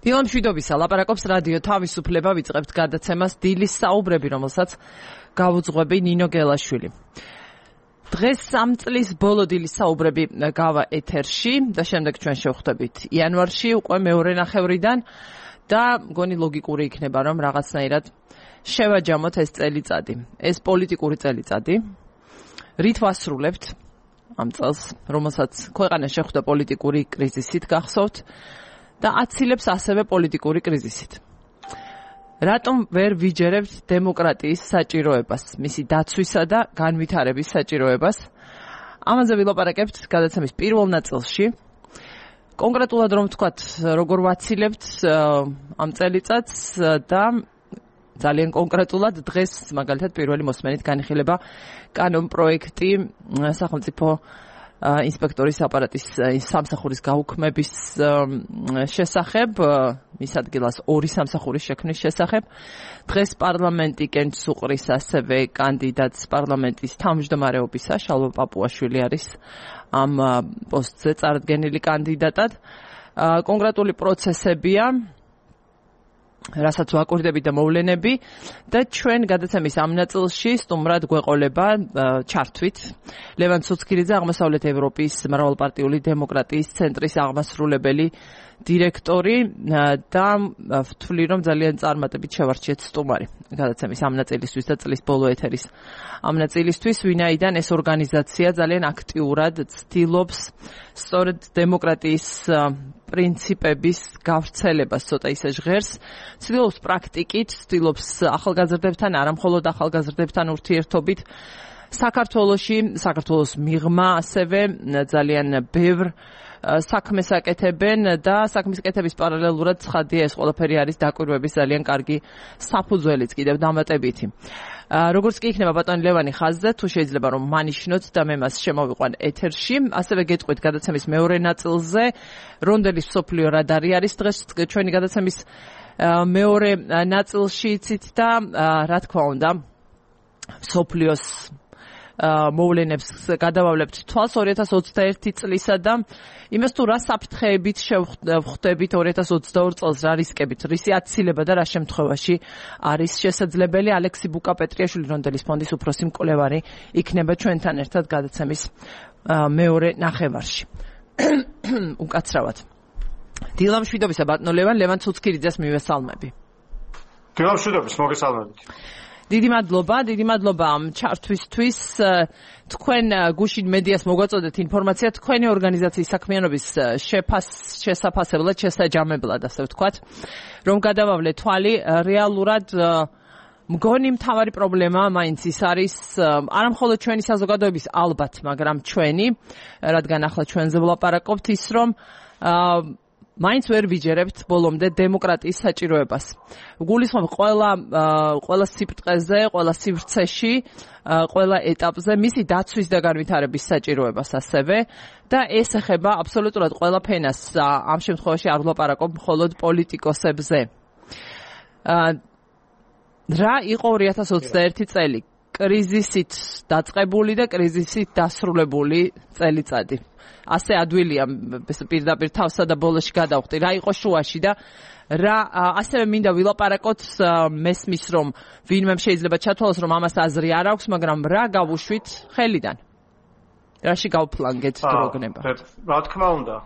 დილა მშვიდობისა, ლაპარაკობს რადიო თავისუფლება, ვიწყებთ გადაცემას დილის საუბრები, რომელსაც გავუძღვები ნინო გელაშვილი. დღეს 3 წლის ბოლო დილის საუბრები გავა ეთერში და შემდეგ ჩვენ შევხვდებით იანვარში უკვე მეორე ნახევრიდან და მგონი ლოგიკური იქნება, რომ რაღაცნაირად შევაჯამოთ ეს წელიწადი. ეს პოლიტიკური წელიწადი, რით ვასრულებთ ამ წელს, რომელსაც ქვეყანა შეხვდა პოლიტიკური კრიზისით, გახსოვთ და აცილებს ასევე პოლიტიკური კრიზისით. რატომ ვერ ვიჯერებთ დემოკრატიის საჭიროებას, მისი დაცვისა და განვითარების საჭიროებას? ამაზე ვილაპარაკებთ გადაცემის პირველ ნაწილში. კონკრეტულად რომ ვთქვათ, როგორ ვაცილებთ ამ წელიწადს და ძალიან კონკრეტულად დღეს მაგალითად პირველი მოსმენით განიხილება კანონპროექტი სახელმწიფო ინსპექტორის აპარატის სამსახურის გაუქმების შესახებ, მის ადგილას ორი სამსახურის შექმნის შესახებ. დღეს პარლამენტი კენჭს უყრის ასევე კანდიდატს პარლამენტის თავმჯდომარეობისა, შალვა პაპუაშვილი არის ამ პოსტზე წარდგენილი კანდიდატად. კონკრეტული პროცესებია, რასაც ვაკვირდებით და მოვლენები და ჩვენ გადაცემის ამ ნაწილში სტუმრად გვეყოლება ჩართვით ლევან ცუცქირიძე, აღმოსავლეთ ევროპის მრავალპარტიული დემოკრატიის ცენტრის აღმასრულებელი დირექტორი და ვთვლი, რომ ძალიან წარმატებით შევარჩიეთ სტუმარი გადაცემის ამ ნაწილისთვის და წლის ბოლო ეთერის ამ ნაწილისთვის, ვინაიდან ეს ორგანიზაცია ძალიან აქტიურად ცდილობს სწორედ დემოკრატიის პრინციპების გავრცელებას, ცოტა ისე ჟღერს, ცდილობს პრაქტიკით, ცდილობს ახალგაზრდებთან, არა მხოლოდ ახალგაზრდებთან ურთიერთობით საქართველოს მიღმა ასევე ძალიან ბევრ საქმეს აკეთებენ და საქმის კეთების პარალელურად ცხადია ეს ყველაფერი არის დაკვირვების ძალიან კარგი საფუძველიც კიდევ დამატებითი. როგორც კი იქნება ბატონი ლევანი ხაზზე, თუ შეიძლება რომ მანიშნოთ და მე მას შემოვიყვან ეთერში, ასევე გეტყვით გადაცემის მეორე ნაწილზე, რონდელის მსოფლიო რადარი არის დღეს ჩვენი გადაცემის მეორე ნაწილში იცით და რა თქმა უნდა მსოფლიოს მოვლენებს გადავავლებთ თვალს 2021 წლისა და იმას თუ რა საფრთხეებით შევხვდებით 2022 წელს, რა რისკებით, რისი აცილება და რა შემთხვევაში არის შესაძლებელი. ალექსი ბუკა-პეტრიაშვილი, რონდელის ფონდის უფროსი მკვლევარი იქნება ჩვენთან ერთად გადაცემის მეორე ნახევარში. უკაცრავად. დილა მშვიდობისა, ბატონო ლევან ცუცქირიძეს მივესალმები. დილა მშვიდობის, მოგესალმებით. დიდი მადლობა ამ ჩართვისთვის. თქვენ გუშინ მედიას მოგვაწოდეთ ინფორმაცია თქვენი ორგანიზაციის საქმიანობის შესაფასებლად, შესაჯამებლად, ასე ვთქვათ, რომ გადავავლეთ თვალი. რეალურად მგონი მთავარი პრობლემა მაინც ის არის, არა მხოლოდ ჩვენი საზოგადოების ალბათ, მაგრამ ჩვენი, რადგან ახლა ჩვენზე ვლაპარაკობთ, ის რომ მაინც ვერ ვიჯერებთ ბოლომდე დემოკრატიის საჭიროებას. გულისხმობ ყველა სიბრტყეზე, ყველა სივრცეში, ყველა ეტაპზე მისი დაცვის და განვითარების საჭიროებას ასევე და ეს ეხება აბსოლუტურად ყველა ფენას. ამ შემთხვევაში არ ვლაპარაკობ მხოლოდ პოლიტიკოსებზე. რა იყო 2021 წელი? კრიზისით დაწყებული და კრიზისით დასრულებული წელიწადი. ასე ადვილია პირდაპირ თავსა და ბოლოში გადავხდი, რა იყო შუაში და რა ასევე მინდა ვილაპარაკოთ, მესმის რომ ვინმე შეიძლება ჩათვალოს რომ ამას აზრი არ აქვს, მაგრამ რა გავუშვით ხელიდან? რაში გავფლანგეთ დროგნება? რა თქმა უნდა,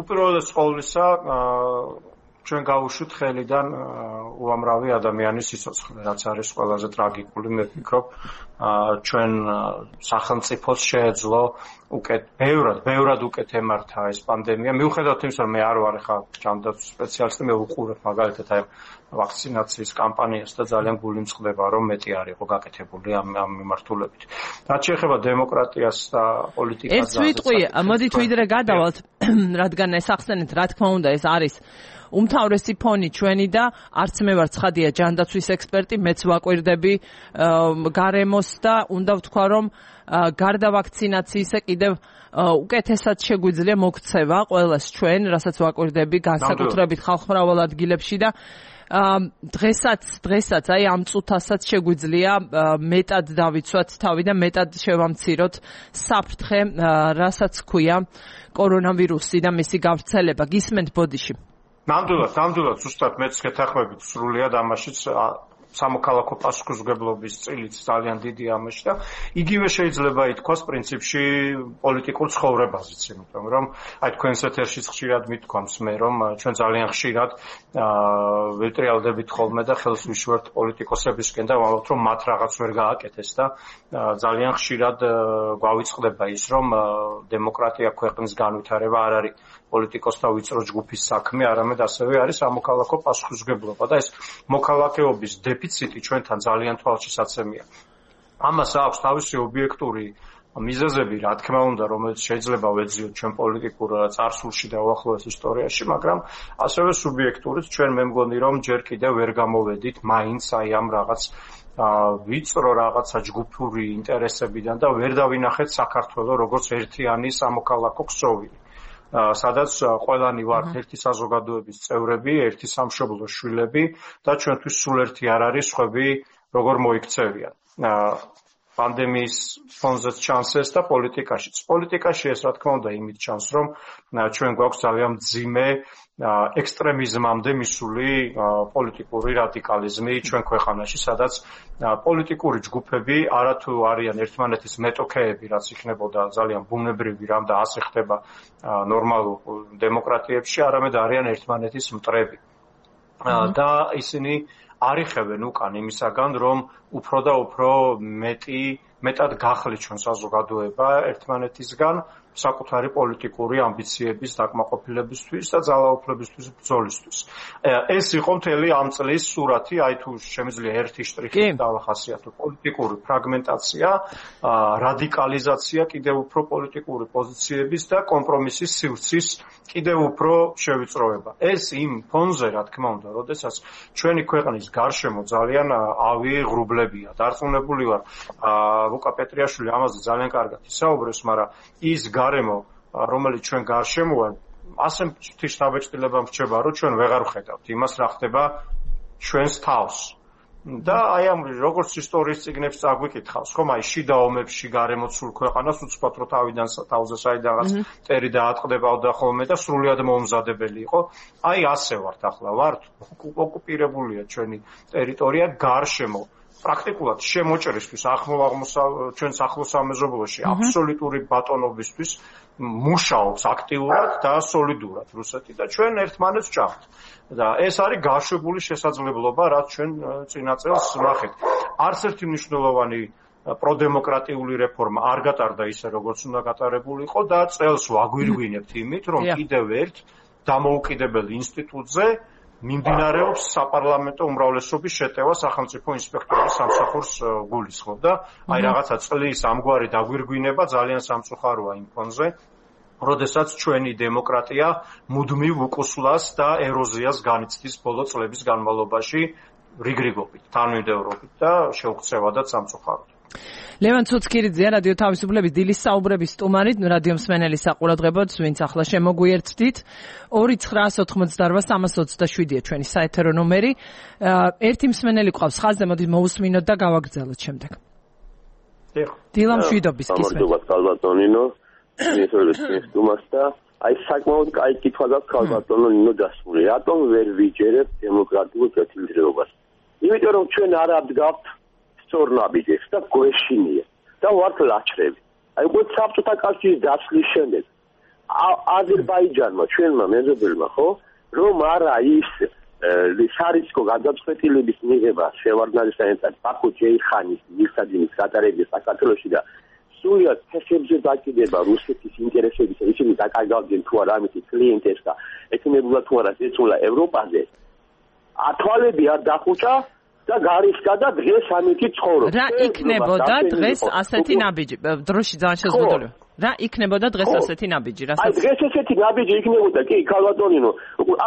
უპირველეს ყოვლისა ჩვენ გავუშვით ხელიდან უამრავი ადამიანის სიცოცხლე, რაც არის ყველაზე ტრაგიკული. მე ვფიქრობ, ჩვენ სახელმწიფოს შეეძლო ბევრად უკეთ ემართა ეს პანდემია. მიუხედავად იმისა, რომ მე არ ვარ ხა ჯანდაცვის სპეციალისტი, მე ვუყურებ მაგალითად აი ვაქცინაციის კამპანიას და ძალიან გული მწყდება, რომ მეტი არ იყო გაკეთებული ამ მიმართულებით. რაც შეეხება დემოკრატიას და პოლიტიკას, ეს ვიტყვი, მოდით ვიდრე გადავალთ, რადგან ეს ახსენეთ, რა თქმა უნდა, ეს არის უმთავრესი ფონი ჩვენი და არც მე ვარ ცხადია ჯანდაცვის ექსპერტი, მეც ვაკვირდები გარემოს და უნდა ვთქვა, რომ გარდა ვაქცინაციისა კიდევ უკეთესად შეგვიძლია მოქცევა ყველას ჩვენ, რასაც ვაკვირდები განსაკუთრებით ხალხმრავალ ადგილებში და დღესაც აი ამ წუთასაც შეგვიძლია მეტად დავიცვათ თავი და მეტად შევამციროთ საფრთხე, რასაც ქვია კორონავირუსი და მისი გავრცელება. გისმენთ ბოდიში. ნამდვილად ზუსტად მეც გეთანხმებით სრულიად ამაშიც სამოქალაქო პასუხისმგებლობის წილიც ძალიან დიდი ამაში და იგივე შეიძლება ითქვას პრინციპში პოლიტიკურ ცხოვრებაზეც, იმიტომ რომ აი თქვენს ეთერშიც ხშირად მithქვამს მე რომ ჩვენ ძალიან ხშირად ვეტრიალდებით ხოლმე და ხელს ვიშვერთ პოლიტიკოსებისკენ და ვამბობთ რომ მათ რაღაც ვერ გააკეთეს და ძალიან ხშირად გვავიწყდება ის რომ დემოკრატია ქვეყნის განვითარება არ არის პოლიტიკოსთა ვიწრო ჯგუფის საქმე, არამედ ასევე არის სამოქალაქო პასუხისმგებლობა და ეს მოქალაქეობის დეფიციტი ჩვენთან ძალიან თვალშისაცემია. ამას აქვს თავისი ობიექტური მიზეზები, რა თქმა უნდა, რომელიც შეიძლება ვეძიოთ ჩვენ პოლიტიკურ წარსულში და უახლოეს ისტორიაში, მაგრამ ასევე სუბიექტურიც ჩვენ მე მგონი რომ ჯერ კიდევ ვერ გამოვედით მაინც აი ამ რაღაც ვიწრო რაღაცა ჯგუფური ინტერესებიდან და ვერ დავინახეთ საქართველოს როგორც ერთიანი სამოქალაქო ქსოვილი. სადაც ყველანი ვართ ერთი საზოგადოების წევრები, ერთი სამშობლოს შვილები და ჩვენთვის სულ ერთი არ არის სხვები როგორ მოიქცევიან. პანდემიის ფონზეც ჩანს ეს და პოლიტიკაშიც. პოლიტიკაში ეს რა თქმა უნდა იმით ჩანს, რომ ჩვენ გვაქვს ძალიან მძიმე ექსტრემიზმამდე მისული პოლიტიკური რადიკალიზმი ჩვენ ქვეყანაში, სადაც პოლიტიკური ჯგუფები არათუ არიან ერთმანეთის მეტოქეები, რაც იქნებოდა ძალიან ბუნებრივი რამ და ასე ხდება ნორმალურ დემოკრატიებში, არამედ არიან ერთმანეთის მტრები. და ისინი არიხებენ უკან იმისაგან, რომ უფრო და უფრო მეტად გახლით ჩვენ საზოგადოება ერთმანეთისგან საკუთარი პოლიტიკური ამბიციების დაკმაყოფილებისთვის და ძალაუფლებისთვის ბრძოლისთვის. ეს იყო მთელი ამ წლის სურათი, აი თუ შემიძლია ერთი შტრიხით დავახასიათო, პოლიტიკური ფრაგმენტაცია, რადიკალიზაცია, კიდევ უფრო პოლიტიკური პოზიციების და კომპრომისის სივრცის კიდევ უფრო შევიწროება. ეს იმ ფონზე, რა თქმა უნდა, როდესაც ჩვენი ქვეყნის გარშემო ძალიან ავი ღრუბლებია. დარწმუნებული ვარ, ლუკა პეტრიაშვილი ამაზე ძალიან კარგად ისაუბრებს, მაგრამ ის გარემო, რომელიც ჩვენ გარშემოა, ასე მთის დაბეჭდილება მრჩება, რომ ჩვენ ვეღარ ვხედავთ იმას, რა ხდება ჩვენს თავს. და აი ამ როგორც ისტორიის წიგნებს წაგვიკითხავს, ხომ აი შიდა ომებში გარემოცულ ქვეყანას უცბად რო თავიდან თავზე საიდანაც ტერი დაატყდებოდა ხოლმე და სრულიად მომზადებელი იყო. აი ასე ვართ ახლა, ვართ ოკუპირებულია ჩვენი ტერიტორია გარშემო. პრაქტიკულად შემოჭრისთვის ჩვენს ახლოს სამეზობლოში აბსოლუტური ბატონობისთვის მუშაობს აქტიურად და სოლიდურად რუსეთი და ჩვენ ერთმანეთს ვჭამთ. და ეს არის გაშვებული შესაძლებლობა, რაც ჩვენ წინა წელს ვნახეთ. არც ერთი მნიშვნელოვანი პროდემოკრატიული რეფორმა არ გატარდა ისე, როგორც უნდა გატარებულიყო და წელს ვაგვირგვინებთ იმით, რომ კიდევ ერთ დამოუკიდებელ ინსტიტუტზე მიმდინარეობს საპარლამენტო უმრავლესობის შეტევა სახელმწიფო ინსპექტორის სამსახურს გულისხმობ და აი რაღაცა წლის ამგვარი დაგვირგვინება ძალიან სამწუხაროა იმ ფონზე, როდესაც ჩვენი დემოკრატია მუდმივ უკუსლას და ეროზიას განიცდის ბოლო წლების განმავლობაში რიგრიგობით, თანმიმდევრობით და შეუქცევადაც სამწუხაროდ. ლევან ცუცქირიძე, რადიო თავისუფლების დილის საუბრების სტუმარი, რადიო მსმენელი საყურადღებოდ, ვინც ახლა შემოგვიერთდით, 2988327-ია ჩვენი საეთერო ნომერი. ერთი მსმენელი ყავს ხაზზე, მოდი მოусმინოთ და გავაგრძელოთ შემდეგ. დილა მშვიდობის გისმენთ. კალბატონინო, მისვლის სტუმარს და აი საკმაოდ კაი კითხვა გაქვს კალბატონო ნინო დასმული. რატომ ვერ ვიჯერებთ დემოკრატიულ კეთილდღეობას? იმიტომ რომ ჩვენ არ ადგავთ სწორნაბიჯებს და გვეშინია და ვართ ლაჩრები. აი უკვე საბჭოთა კავშირის დაშლის შემდეგ აზერბაიჯანმა ჩვენმა მეზობელმა ხო რომ არა ის სარისკო გადაწყვეტილების მიღება შევარდნაძესთან ბაქო ჯეიხანის მიხსადინის გატარებია საქართველოში და სულიად ფეხებზე დაკიდება რუსეთის ინტერესებისა, ისინი დაკარგავდნენ თუ არა ამით კლიენტებს და ეკნებოდა თუ არა ეწულა ევროპაზე. ათვალები არ დახუჭა და გარიშკა და დღეს ამითი ცხოვრობს. რა იქნებოდა დღეს ასეთი ნაბიჯი? დროში ძალიან შეზღუდული. რა იქნებოდა დღეს ასეთი ნაბიჯი? აი დღეს ესეთი ნაბიჯი იქნებოდა, კი, კალბატონინო.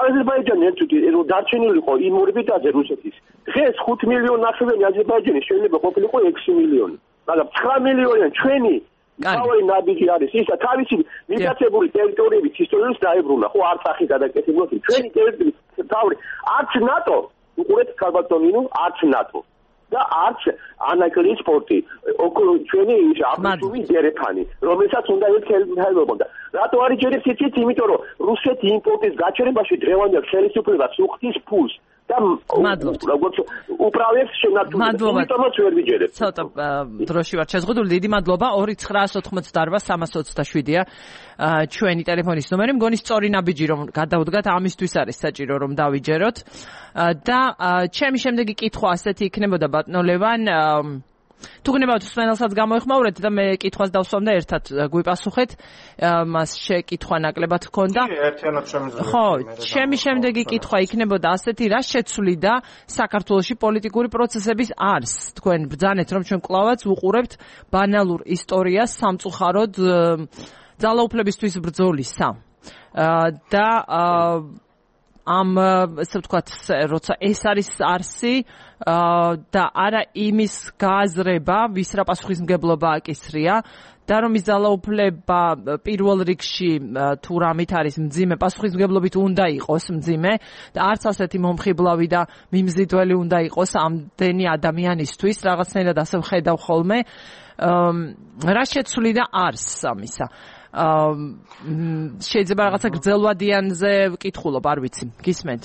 აზერბაიჯანი ერთუდი დარჩენილიყო იმ ორბიტაზე რუსეთის. დღეს 5 მილიონი ნახევარი აზერბაიჯანი შეიძლება ყოფილიყო 6 მილიონი. მაგრამ 9 მილიონი ჩვენი თავი ნაბიჯი არის ისა თავისი მიტაცებული ტერიტორიების ისტორიას დაებრუნა. ხო არცახი გადაკეთებულა ჩვენი ტერიტორიის თავი არც ნატო უყურეთ კალბატონინო არც ნატო და არც ანაკლიის სპორტი. ჩვენი აბსოლუტური დერეფანი, რომელსაც უნდა ხელმძღვანელობა. რატო არის ჯერებს იცით? იმიტომ რომ რუსეთი იმპორტის გაჩერებაში დღევანდელ ხელისუფლებას უხდის ფულს. და როგორც უправებს შენარჩუნებას, იმიტომაც ვერ ვიჯერებ. ცოტა დროში ვარ შეზღუდული. დიდი მადლობა. 2988-327-ია ჩვენი ტელეფონის ნომერი. მგონი სწორი ნაბიჯი რომ გადავდგათ, ამისთვის არის საჭირო რომ დავიჯეროთ. და ჩემი შემდეგი კითხვა ასეთი იქნებოდა ბატონო ლევან, თუ გნებავთ მსმენელსაც გამოეხმაურეთ და მე კითხვას დავსვამ და ერთად გვიპასუხეთ. მას შეკითხვა ნაკლებად ჰქონდა. ხო, ჩემი შემდეგი კითხვა იქნებოდა ასეთი, რა შეცვლიდა საქართველოში პოლიტიკური პროცესების არსს? თქვენ ბრძანეთ რომ ჩვენ კლავაც ვუყურებთ ბანალურ ისტორიას სამწუხაროდ ძალაუფლებისთვის ბრძოლისა. და ამ ესე ვთქვათ, როცა ეს არის არსი და არა იმის გააზრება, ვის რა პასუხისმგებლობა აკისრია და რომ ის ძალაუფლება პირველ რიგში თუ რამით არის მძიმე, პასუხისმგებლობით უნდა იყოს მძიმე და არც ასეთი მომხიბლავი და მიმზიდველი უნდა იყოს ამდენი ადამიანისთვის, რაღაცნაირად ასე ვხედავ ხოლმე. რა შეცვლიდა არსს ამისა? შეიძლება რაღაცა გრძელვადიანზე ვკითხულობ, არ ვიცი, გისმენთ?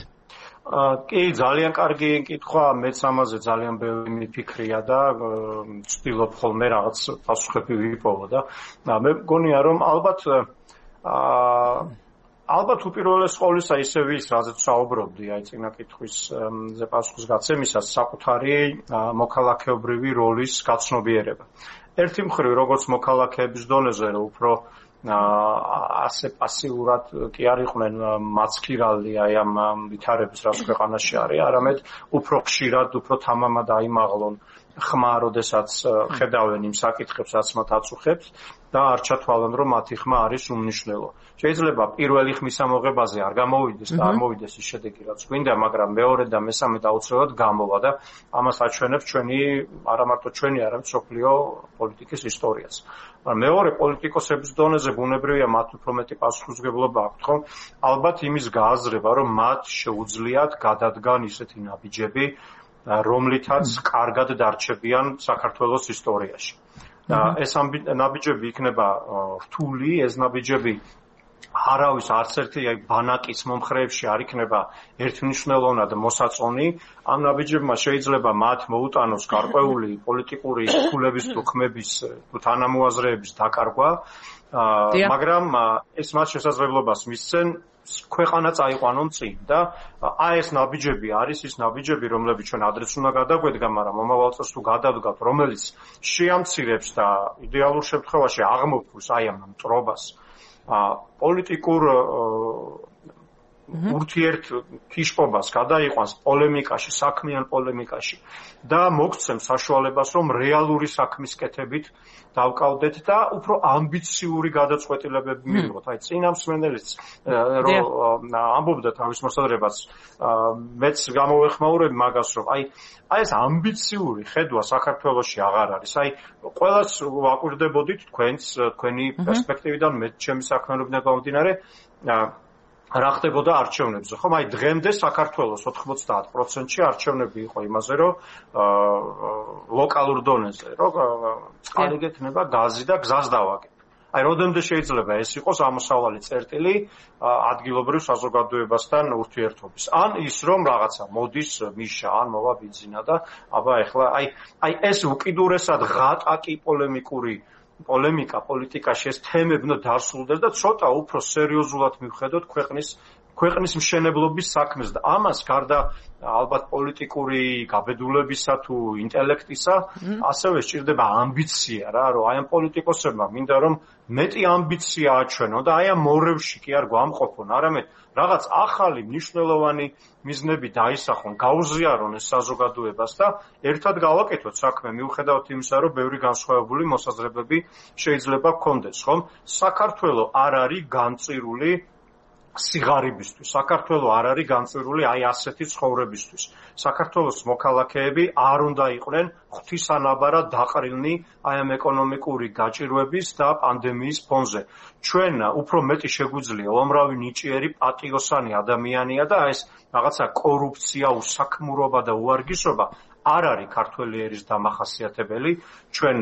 კი, ძალიან კარგი კითხვა, მეც ამაზე ძალიან ბევრი მიფიქრია და ვცდილობ ხოლმე რაღაც პასუხები ვიპოვო და მე მგონია რომ ალბათ უპირველეს ყოვლისა ისე ვის, რაზეც საუბრობდი, აი წინა კითხვის პასუხის გაცემისას, საკუთარი მოქალაქეობრივი როლის გაცნობიერება. ერთი მხრივ, როგორც მოქალაქეების დონეზე, რომ უფრო ასე პასიურად კი არ იყვნენ მაცქირალი აი ამ ვითარების, რაც ქვეყანაში არის, არამედ უფრო ხშირად, უფრო თამამად აიმაღლონ ხმა, როდესაც ხედავენ იმ საკითხებს, რაც მათ აწუხებს და არ ჩათვალონ, რომ მათი ხმა არის უმნიშვნელო. შეიძლება პირველი ხმის ამოღებაზე არ გამოვიდეს და არ მოვიდეს ის შედეგი, რაც გვინდა, მაგრამ მეორე და მესამე აუცილებლად გამოვა და ამას აჩვენებს ჩვენი, არა მარტო ჩვენი, არამედ მსოფლიო პოლიტიკის ისტორიაც. მეორე პოლიტიკოსების დონეზე ბუნებრივია მათ უფრო მეტი პასუხისმგებლობა აქვთ, ხო? ალბათ იმის გააზრება, რომ მათ შეუძლიათ გადადგან ისეთი ნაბიჯები, რომლითაც კარგად დარჩებიან საქართველოს ისტორიაში. და ეს ნაბიჯები იქნება რთული, ეს ნაბიჯები არავის არც ერთი ბანაკის მომხრეებში არ იქნება ერთმნიშვნელოვნად მოსაწონი. ამ ნაბიჯებმა შეიძლება მათ მოუტანოს გარკვეული პოლიტიკური ქულების თუ ხმების თუ თანამოაზრეების დაკარგვა, მაგრამ ეს მათ შესაძლებლობას მისცენ ქვეყანა წაიყვანონ წინ და აი ეს ნაბიჯები არის ის ნაბიჯები, რომლებიც ჩვენ ადრეს უნდა გადაგვედგა, მაგრამ მომავალ წელს თუ გადავდგათ, რომელიც შეამცირებს და იდეალურ შემთხვევაში აღმოფხულს აი ამ მტრობას პოლიტიკურ ურთიერთკიშპობას გადაიყვანს პოლემიკაში, საქმიან პოლემიკაში და მოგცემს საშუალებას, რომ რეალური საქმის კეთებით დავკავდეთ და უფრო ამბიციური გადაწყვეტილებები მივიღოთ. აი წინა მსმენელიც რომ ამბობდა თავის მოსაზრებას, მეც გამოვეხმაურებ მაგას, რომ აი ეს ამბიციური ხედვა საქართველოში აღარ არის. აი ყველას ვაკვირდებოდით თქვენი პერსპექტივიდან, მე ჩემი საქმიანობიდან გამომდინარე, რა ხდებოდა არჩევნებზე, ხომ? აი დღემდე საქართველოს 90%-ში არჩევნები იყო იმაზე, რომ ლოკალურ დონეზე, რომ წყალი გექნება, გაზი და გზას დავაგებ. აი როდემდე შეიძლება ეს იყოს ამოსავალი წერტილი ადგილობრივ საზოგადოებასთან ურთიერთობის. ან ის რომ რაღაცა მოდის მიშა, ან მოვა ბიძინა და აბა ეხლა აი ეს უკიდურესად ღატაკი პოლემიკა პოლიტიკაში ეს თემები უნდა დასრულდეს და ცოტა უფრო სერიოზულად მივხედოთ ქვეყნის მშენებლობის საქმეს და ამას გარდა ალბათ პოლიტიკური გაბედულებისა თუ ინტელექტისა ასევე სჭირდება ამბიცია რა, რომ აი ამ პოლიტიკოსებმა მინდა რომ მეტი ამბიცია აჩვენონ და აი ამ მორევში კი არ გვამყოფონ, არამედ რაღაც ახალი მნიშვნელოვანი მიზნები დაისახონ, გაუზიარონ ეს საზოგადოებას და ერთად გავაკეთოთ საქმე, მიუხედავად იმისა, რომ ბევრი განსხვავებული მოსაზრებები შეიძლება გქონდეს, ხომ? საქართველო არ არის განწირული სიღარიბისთვის. საქართველო არ არის განწირული აი ასეთი ცხოვრებისთვის. საქართველოს მოქალაქეები არ უნდა იყვნენ ღვთისანაბარად დაყრილნი აი ამ ეკონომიკური გაჭირვების და პანდემიის ფონზე. ჩვენ უფრო მეტი შეგვიძლია უამრავი ნიჭიერი პატიოსანი ადამიანია და ეს რაღაცა კორუფცია, უსაქმურობა და უარგისობა არ არის ქართველი ერის დამახასიათებელი, ჩვენ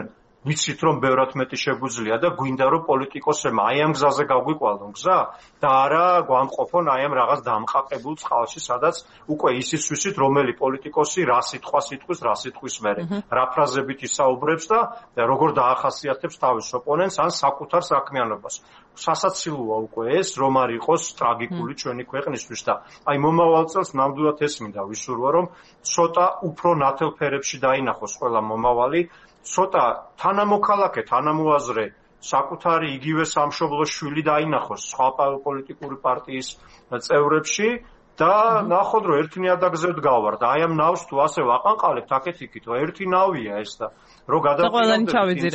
ვიცით რომ ბევრად მეტი შეგვიძლია და გვინდა რომ პოლიტიკოსებმა აი ამ გზაზე გაგვიყვალონ გზა და არა გვამყოფონ აი ამ რაღაც დამყაყებულ წყალში, სადაც უკვე ისიც ვიცით რომელი პოლიტიკოსი რა სიტყვას იტყვის, რა სიტყვის მერე, რა ფრაზებით ისაუბრებს და როგორ დაახასიათებს თავის ოპონენტს ან საკუთარ საქმიანობას. სასაცილოა უკვე ეს რომ არ იყოს ტრაგიკული ჩვენი ქვეყნისთვის და აი მომავალ წელს ნამდვილად ეს მინდა ვისურვო რომ ცოტა უფრო ნათელ ფერებში დაინახოს ყველა მომავალი, ცოტა თანამოქალაქე, თანამოაზრე, საკუთარი იგივე სამშობლოს შვილი დაინახოს სხვა პოლიტიკური პარტიის წევრებში და ნახოთ რომ ერთი ნიადაგზე ვდგავართ. აი ამ ნავს თუ ასე ვაყანყალებთ, აქეთ იქით, ერთი ნავია ეს და რო გადავიდეთ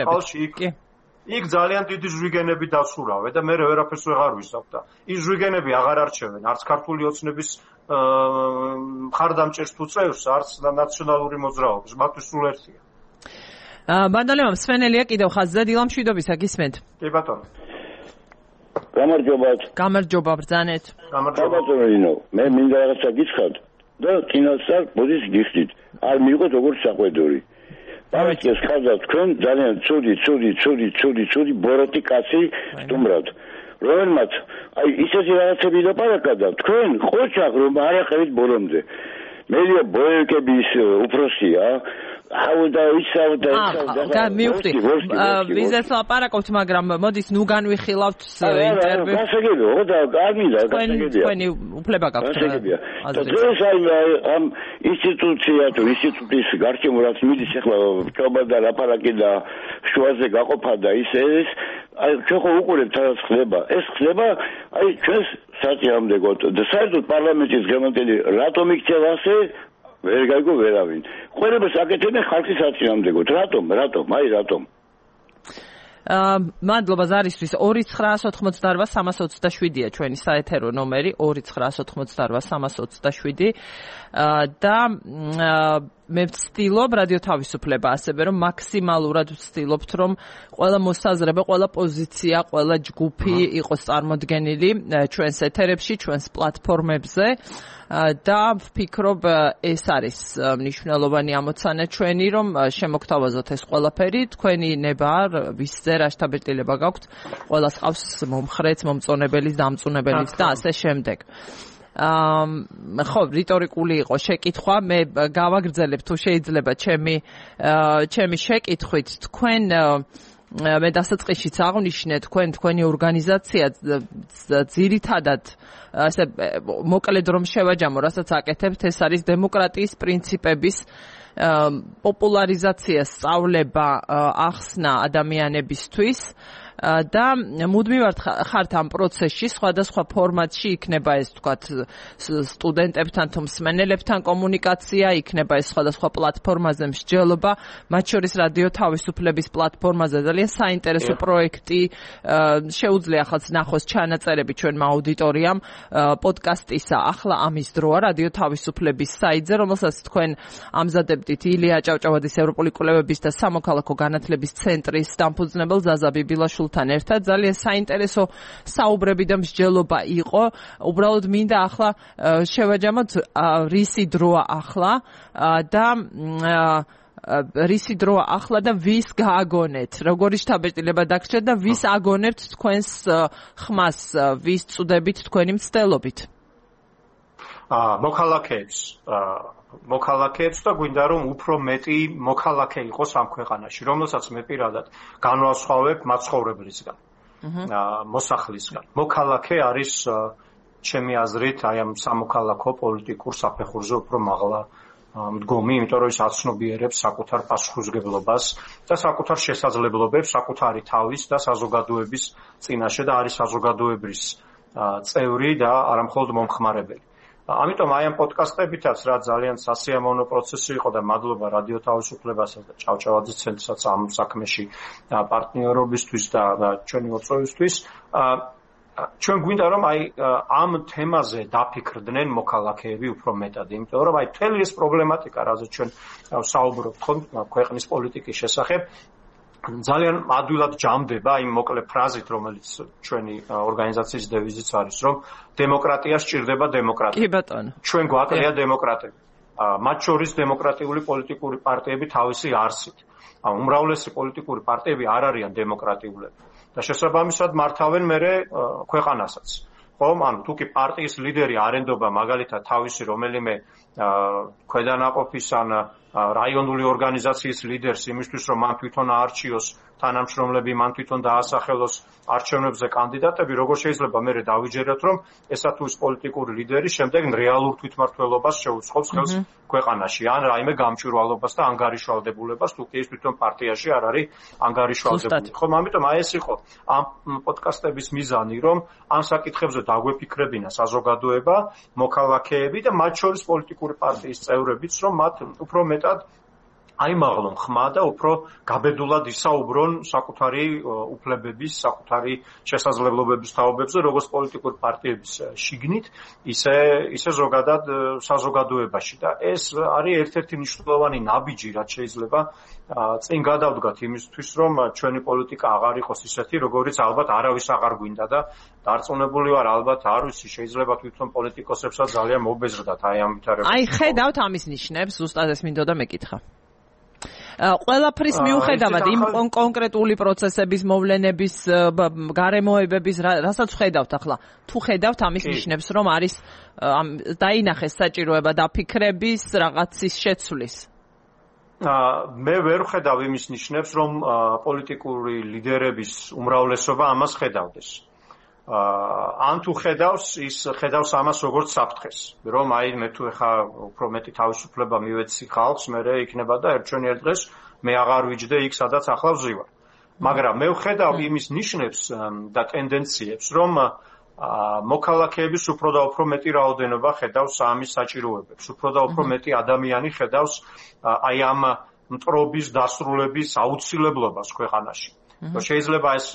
იქ ძალიან დიდი ზვიგენები დაცურავე და მე ვერაფერს ვეღარ ვისავ და ის ზვიგენები აღარ არჩევენ არც ქართული ოცნების მხარდამჭერს თუ წევრს, არც ნაციონალური მოძრაობის, მათთვის სულ ერთია. ბანდოლევამ სვენელია კიდევ ხაზზე დილამშვიდობისა გისმენთ. კი ბატონო. გამარჯობა ბრძანეთ. გამარჯობა. მე მინდა რაღაცა გითხრათ და წინასწარ მოდის გიხდით. არ მიიღოთ როგორც საყვედური. პარტიას ხაზად თქვენ ძალიან ცუდი ბოროტი კაცი სტუმრად. რომელმაც აი ისეთი რაღაცები დაპარაკა და თქვენ ყოჩახ რომ არ ახევით ბოლომდე. მერია ბოეკების უფროსია. მივხვდი ვიზას ლაპარაკობთ, მაგრამ მოდის ნუ განვიხილავთ ინტერვიუ. გასაგებია, და არ მინდა გასაგებია. თქვენი უფლება გაქვთ. დღეს ამ ინსტიტუცია თუ ინსტიტუტის გარშემო რაც მიდის ახლა ჩობა და ლაპარაკი და შუაზე გაყოფა და ის აი ჩვენ ხო უყურებთ რა ხდება. ეს ხდება აი ჩვენს საწინააღმდეგოდ და საერთოდ პარლამენტის გამონტელი რატომ იქცევა ასე ვერ გაიგო ვერავინ. ყველებას აკეთებენ ხალხის საწინააღმდეგოდ. რატომ? მადლობა ზარისთვის. 2988327-ია ჩვენი საეთერო ნომერი 2988327 და მე ვცდილობ რადიო თავისუფლება ასევე რომ მაქსიმალურად ვცდილობთ რომ ყველა მოსაზრება, ყველა პოზიცია, ყველა ჯგუფი იყოს წარმოდგენილი ჩვენს ეთერებში, ჩვენს პლატფორმებზე და ვფიქრობ ეს არის მნიშვნელოვანი ამოცანა ჩვენი რომ შემოგთავაზოთ ეს ყველაფერი. თქვენი ნება ვისზე რა შთაბეჭდილება გაქვთ, ყველას ყავს მომხრეც, მომწონებელიც, დამწუნებელიც და ასე შემდეგ. ხო, რიტორიკული იყო შეკითხვა, მე გავაგრძელებ თუ შეიძლება ჩემი შეკითხვით. თქვენ მე დასაწყისშიც აღვნიშნე თქვენი ორგანიზაცია ძირითადად ასე მოკლედ რომ შევაჯამო, რასაც აკეთებთ, ეს არის დემოკრატიის პრინციპების პოპულარიზაცია, სწავლება, ახსნა ადამიანებისთვის და მუდმივად ხართ ამ პროცესში, სხვადასხვა ფორმატში იქნება ეს თქვათ სტუდენტებთან თუ მსმენელებთან კომუნიკაცია, იქნება ეს სხვადასხვა პლატფორმაზე მსჯელობა, მათ შორის რადიო თავისუფლების პლატფორმაზე ძალიან საინტერესო პროექტი შეუძლია ახალ ნახოს ჩანაწერები ჩვენმა აუდიტორიამ პოდკასტისა ახლა ამის დროა რადიო თავისუფლების საიტზე, რომელსაც თქვენ ამზადებდით ილია ჭავჭავაძის ევროპული კვლევების და სამოქალაქო განათლების ცენტრის დამფუძნებელ ზაზა ბიბილაშვილთან ერთად. ძალიან საინტერესო საუბრები და მსჯელობა იყო. უბრალოდ მინდა ახლა შევაჯამოთ რისი დროა ახლა და რისი დროა ახლა და ვის გააგონეთ, როგორი შთაბეჭდილება დაგჭირეთ და ვის აგონებთ თქვენს ხმას, ვის წუდებით თქვენი მცდელობით? მოქალაქეებს და გვინდა რომ უფრო მეტი მოქალაქე იყოს ამ ქვეყანაში, რომელსაც მე პირადად განვასხვავებ მაცხოვრებლისგან, მოსახლისგან. მოქალაქე არის ჩემი აზრით აი ამ სამოქალაქო პოლიტიკურ საფეხურზე უფრო მაღლა მდგომი, იმიტომ რომ ის აცნობიერებს საკუთარ პასუხისმგებლობას და საკუთარ შესაძლებლობებს საკუთარი თავის და საზოგადოების წინაშე და არის საზოგადოების წევრი და არა მხოლოდ მომხმარებელი. ამიტომ აი ამ პოდკასტებითაც რა ძალიან სასიამოვნო პროცესი იყო და მადლობა რადიო თავისუფლებასაც და ჭავჭავაძის ცენტრსაც ამ საქმეში პარტნიორობისთვის და ჩვენი მოწვევისთვის. ჩვენ გვინდა რომ აი ამ თემაზე დაფიქრდნენ მოქალაქეები უფრო მეტად, იმიტომ რომ აი მთელი ეს პრობლემატიკა, რაზეც ჩვენ საუბრობთ ხომ ქვეყნის პოლიტიკის შესახებ, ძალიან ადვილად ჯამდება იმ მოკლე ფრაზით, რომელიც ჩვენი ორგანიზაციის დევიზიც არის, რომ დემოკრატია სჭირდება დემოკრატია. კი ბატონო. ჩვენ გვაკლია დემოკრატები. მათ შორის დემოკრატიული პოლიტიკური პარტიები თავისი არსით. უმრავლესი პოლიტიკური პარტიები არ არიან დემოკრატიულები და შესაბამისად მართავენ მერე ქვეყანასაც. ხომ, ანუ თუ კი პარტიის ლიდერი არენდობა მაგალითად თავისი რომელიმე ქვედანაყოფის ან რაიონული ორგანიზაციის ლიდერს იმისთვის რომ მან თვითონ აარჩიოს თანამშრომლები, მან თვითონ დაასახელოს არჩევნებზე კანდიდატები, როგორ შეიძლება მერე დავიჯეროთ, რომ ესა თუ ის პოლიტიკური ლიდერი შემდეგ რეალურ თვითმმართველობას შეუწყობს ხელს ქვეყანაში, ან რაიმე გამჭვირვალობას და ანგარიშვალდებულებას, თუ კი ის თვითონ პარტიაში არ არის ანგარიშვალდებული. ხომ, ამიტომ აი ეს იყო ამ პოდკასტების მიზანი, რომ ამ საკითხებზე დაგვეფიქრებინა საზოგადოება, მოქალაქეები და მათ შორის პოლიტიკური პარტიის წევრებიც, რომ მათ უფრო მეტად აიმაღლონ ხმა და უფრო გაბედულად ისაუბრონ საკუთარი უფლებების, საკუთარი შესაძლებლობების თაობებზე, როგორც პოლიტიკური პარტიების შიგნით, ისე ზოგადად საზოგადოებაში. და ეს არის ერთ-ერთი მნიშვნელოვანი ნაბიჯი, რაც შეიძლება წინ გადავდგათ იმისთვის, რომ ჩვენი პოლიტიკა აღარ იყოს ისეთი, როგორიც ალბათ არავის აღარ გვინდა და დარწმუნებული ვარ, ალბათ არ ვიცი, შეიძლება თვითონ პოლიტიკოსებსაც ძალიან მობეზრდათ აი ამ ვითარებაში. აი ხედავთ ამის ნიშნებს, ზუსტად ეს მინდოდა მეკითხა. ყველაფრის მიუხედავად იმ კონკრეტული პროცესების მოვლენების გარემოებების რასაც ხედავთ ახლა თუ ხედავთ ამის ნიშნებს რომ არის დაინახეს საჭიროება დაფიქრების რაღაცის შეცვლის მე ვერ ხედავ იმის ნიშნებს რომ პოლიტიკური ლიდერების უმრავლესობა ამას ხედავდეს ან თუ ხედავს ის ხედავს ამას როგორც საფრთხეს რომ აი მე თუ ეხა უფრო მეტი თავისუფლება მივეცი ხალხს მე იქნება და ერთჩვენი ერთ დღეს მე აღარ ვიჯდე იქ სადაც ახლა ვზივარ მაგრამ მე ვხედავ იმის ნიშნებს და ტენდენციებს რომ მოქალაქეების უფრო და უფრო მეტი რაოდენობა ხედავს ამის საჭიროებებს უფრო და უფრო მეტი ადამიანი ხედავს აი ამ მტრობის დასრულების აუცილებლობას ქვეყანაში შეიძლება ეს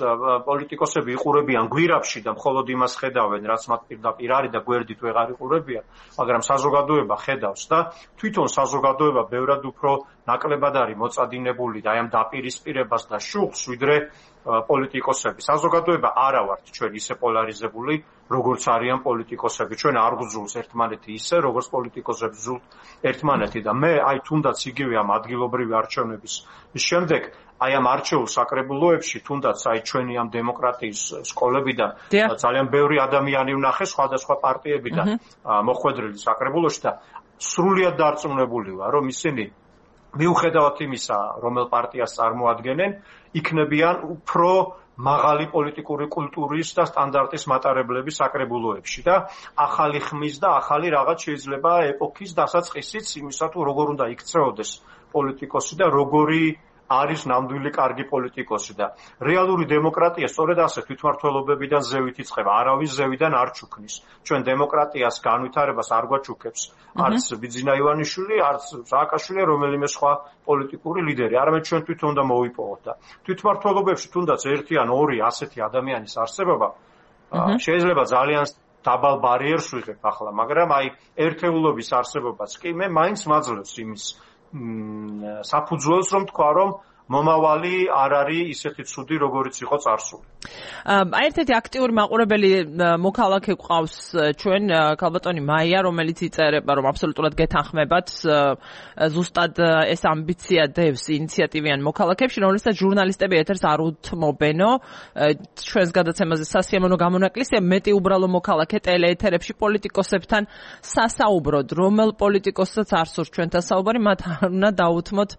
პოლიტიკოსები იყურებიან გვირაბში და მხოლოდ იმას ხედავენ, რაც მათ პირდაპირ არის და გვერდით ვეღარ იყურებიან, მაგრამ საზოგადოება ხედავს და თვითონ საზოგადოება ბევრად უფრო ნაკლებად არის მოწადინებული და აი ამ დაპირისპირებას და შუხს, ვიდრე პოლიტიკოსები. საზოგადოება არა ვართ ჩვენ ისე პოლარიზებული, როგორც არიან პოლიტიკოსები. ჩვენ არ გვძულს ერთმანეთი ისე, როგორც პოლიტიკოსები ზულთ ერთმანეთი და მე აი თუნდაც იგივე ამ ადგილობრივი არჩევნების შემდეგ აი ამ არჩეულ საკრებულოებში თუნდაც აი ჩვენი ამ დემოკრატიის სკოლებიდან ძალიან ბევრი ადამიანი ვნახე სხვადასხვა პარტიებიდან მოხვედრილი საკრებულოში და სრულიად დარწმუნებული ვარ რომ ისინი მიუხედავად იმისა რომელ პარტიას წარმოადგენენ იქნებიან უფრო მაღალი პოლიტიკური კულტურის და სტანდარტის მატარებლების საკრებულოებში და ახალი ხმის და ახალი რაღაც შეიძლება ეპოქის დასაწყისიც იმისა თუ როგორ უნდა იქცეოდეს პოლიტიკოსი და როგორი არის ნამდვილი კარგი პოლიტიკოსი და რეალური დემოკრატია სწორედ ასე თვითმმართველობებიდან ზევით იწყება, არავის ზევიდან არ ჩუქნის. ჩვენ დემოკრატიას განვითარებას არ გვაჩუქებს არც ბიძინა ივანიშვილი, არც სააკაშვილი, რომელიმე სხვა პოლიტიკური ლიდერი. არამედ ჩვენ თვითონ უნდა მოვიპოვოთ და თვითმმართველობებში თუნდაც ერთი ან ორი ასეთი ადამიანის არსებობა შეიძლება ძალიან დაბალ ბარიერს ვიღებ ახლა, მაგრამ აი ერთეულობის არსებობაც კი მე მაინც მაძლევს იმის საფუძველს რომ თქვა რომ მომავალი არ არის ისეთი ცუდი როგორიც იყო წარსული. აი ერთ-ერთი აქტიური მაყურებელი მოქალაქე ყავს ჩვენ ქალბატონი მაია რომელიც იწერება რომ აბსოლუტურად გეთანხმებათ ზუსტად ეს ამბიცია დევს ინიციატივიან მოქალაქეებში რომელსაც ჟურნალისტები ეთერს არ უთმობენო ჩვენს გადაცემაზე სასიამოვნო გამონაკლისია მეტი უბრალო მოქალაქე ტელეეთერებში პოლიტიკოსებთან სასაუბროდ რომელ პოლიტიკოსსაც არ სურს ჩვენთან საუბარი მათ უნდა დაუთმოთ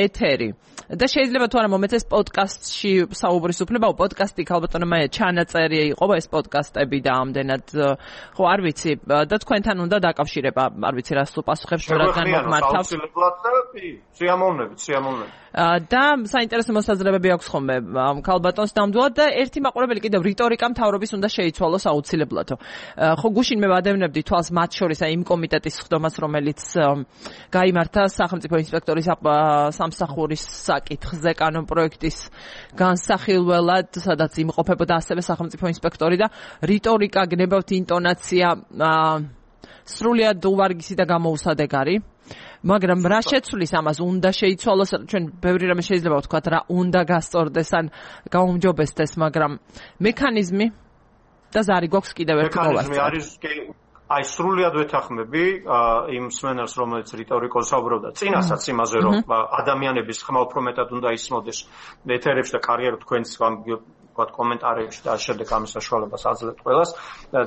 ეთერი და შეიძლება თუ არა მომეცეს პოდკასტში საუბრის უფლება პოდკასტი ქალბატონო მაია ჩანაწერი იყო ეს პოდკასტები და ამდენად ხო არ ვიცი და თქვენთან უნდა დაკავშირება არ ვიცი რას უპასუხებს რადგან მოგმართავს სიამოვნებით და საინტერესო მოსაზრებები აქვს ხოლმე ქალბატონს ნამდვილად და ერთი მაყურებელი კიდევ რიტორიკა მთავრობის უნდა შეიცვალოს აუცილებლად ხო გუშინ მე ვადევნებდი თვალს მათ შორის აი იმ კომიტეტის ხდომას რომელიც გაიმართა სახელმწიფო ინსპექტორის სამსახურის საკითხზე კანონპროექტის განსახილველად სადაც იმყოფებოდა ასევე სახელმწიფო ინსპექტორი და რიტორიკა გნებავთ ინტონაცია სრულიად უვარგისი და გამოუსადეგარი მაგრამ რა შეცვლის ამას უნდა შეიცვალოს ჩვენ ბევრი რამე შეიძლება ვთქვათ რა უნდა გასწორდეს ან გაუმჯობესდეს მაგრამ მექანიზმი და ზარი გვაქვს კიდევ ერთი მოვასწროთ აი სრულიად ვეთანხმები იმ მსმენელს, რომელიც რიტორიკოს საუბრობდა წინასაც იმაზე, რომ ადამიანების ხმა უფრო მეტად უნდა ისმოდეს ეთერებში და კარიერა თქვენს ვთქვათ კომენტარებში და შემდეგ ამის საშუალებას აძლევთ ყველას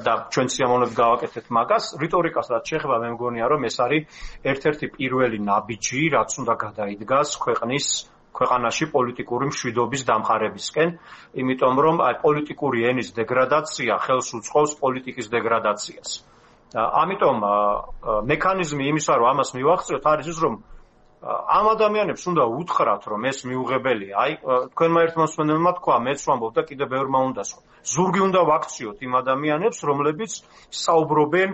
და ჩვენ სიამოვნებით გავაკეთეთ მაგას. რიტორიკას რაც შეეხება, მე მგონია, რომ ეს არის ერთ-ერთი პირველი ნაბიჯი, რაც უნდა გადაიდგას ქვეყანაში პოლიტიკური მშვიდობის დამყარებისკენ, იმიტომ რომ აი პოლიტიკური ენის დეგრადაცია ხელს უწყობს პოლიტიკის დეგრადაციას. ამიტომ მექანიზმი იმისა, რომ ამას მივახციოთ, არის ის, რომ ამ ადამიანებს უნდა უთხრათ, რომ ეს მიუღებელია. აი, თქვენმა ერთმა მსმენელმა თქვა, მეც ვამბობ და კიდევ ბევრმა უნდა სხვა. ზურგი უნდა ვაქციოთ იმ ადამიანებს, რომლებიც საუბრობენ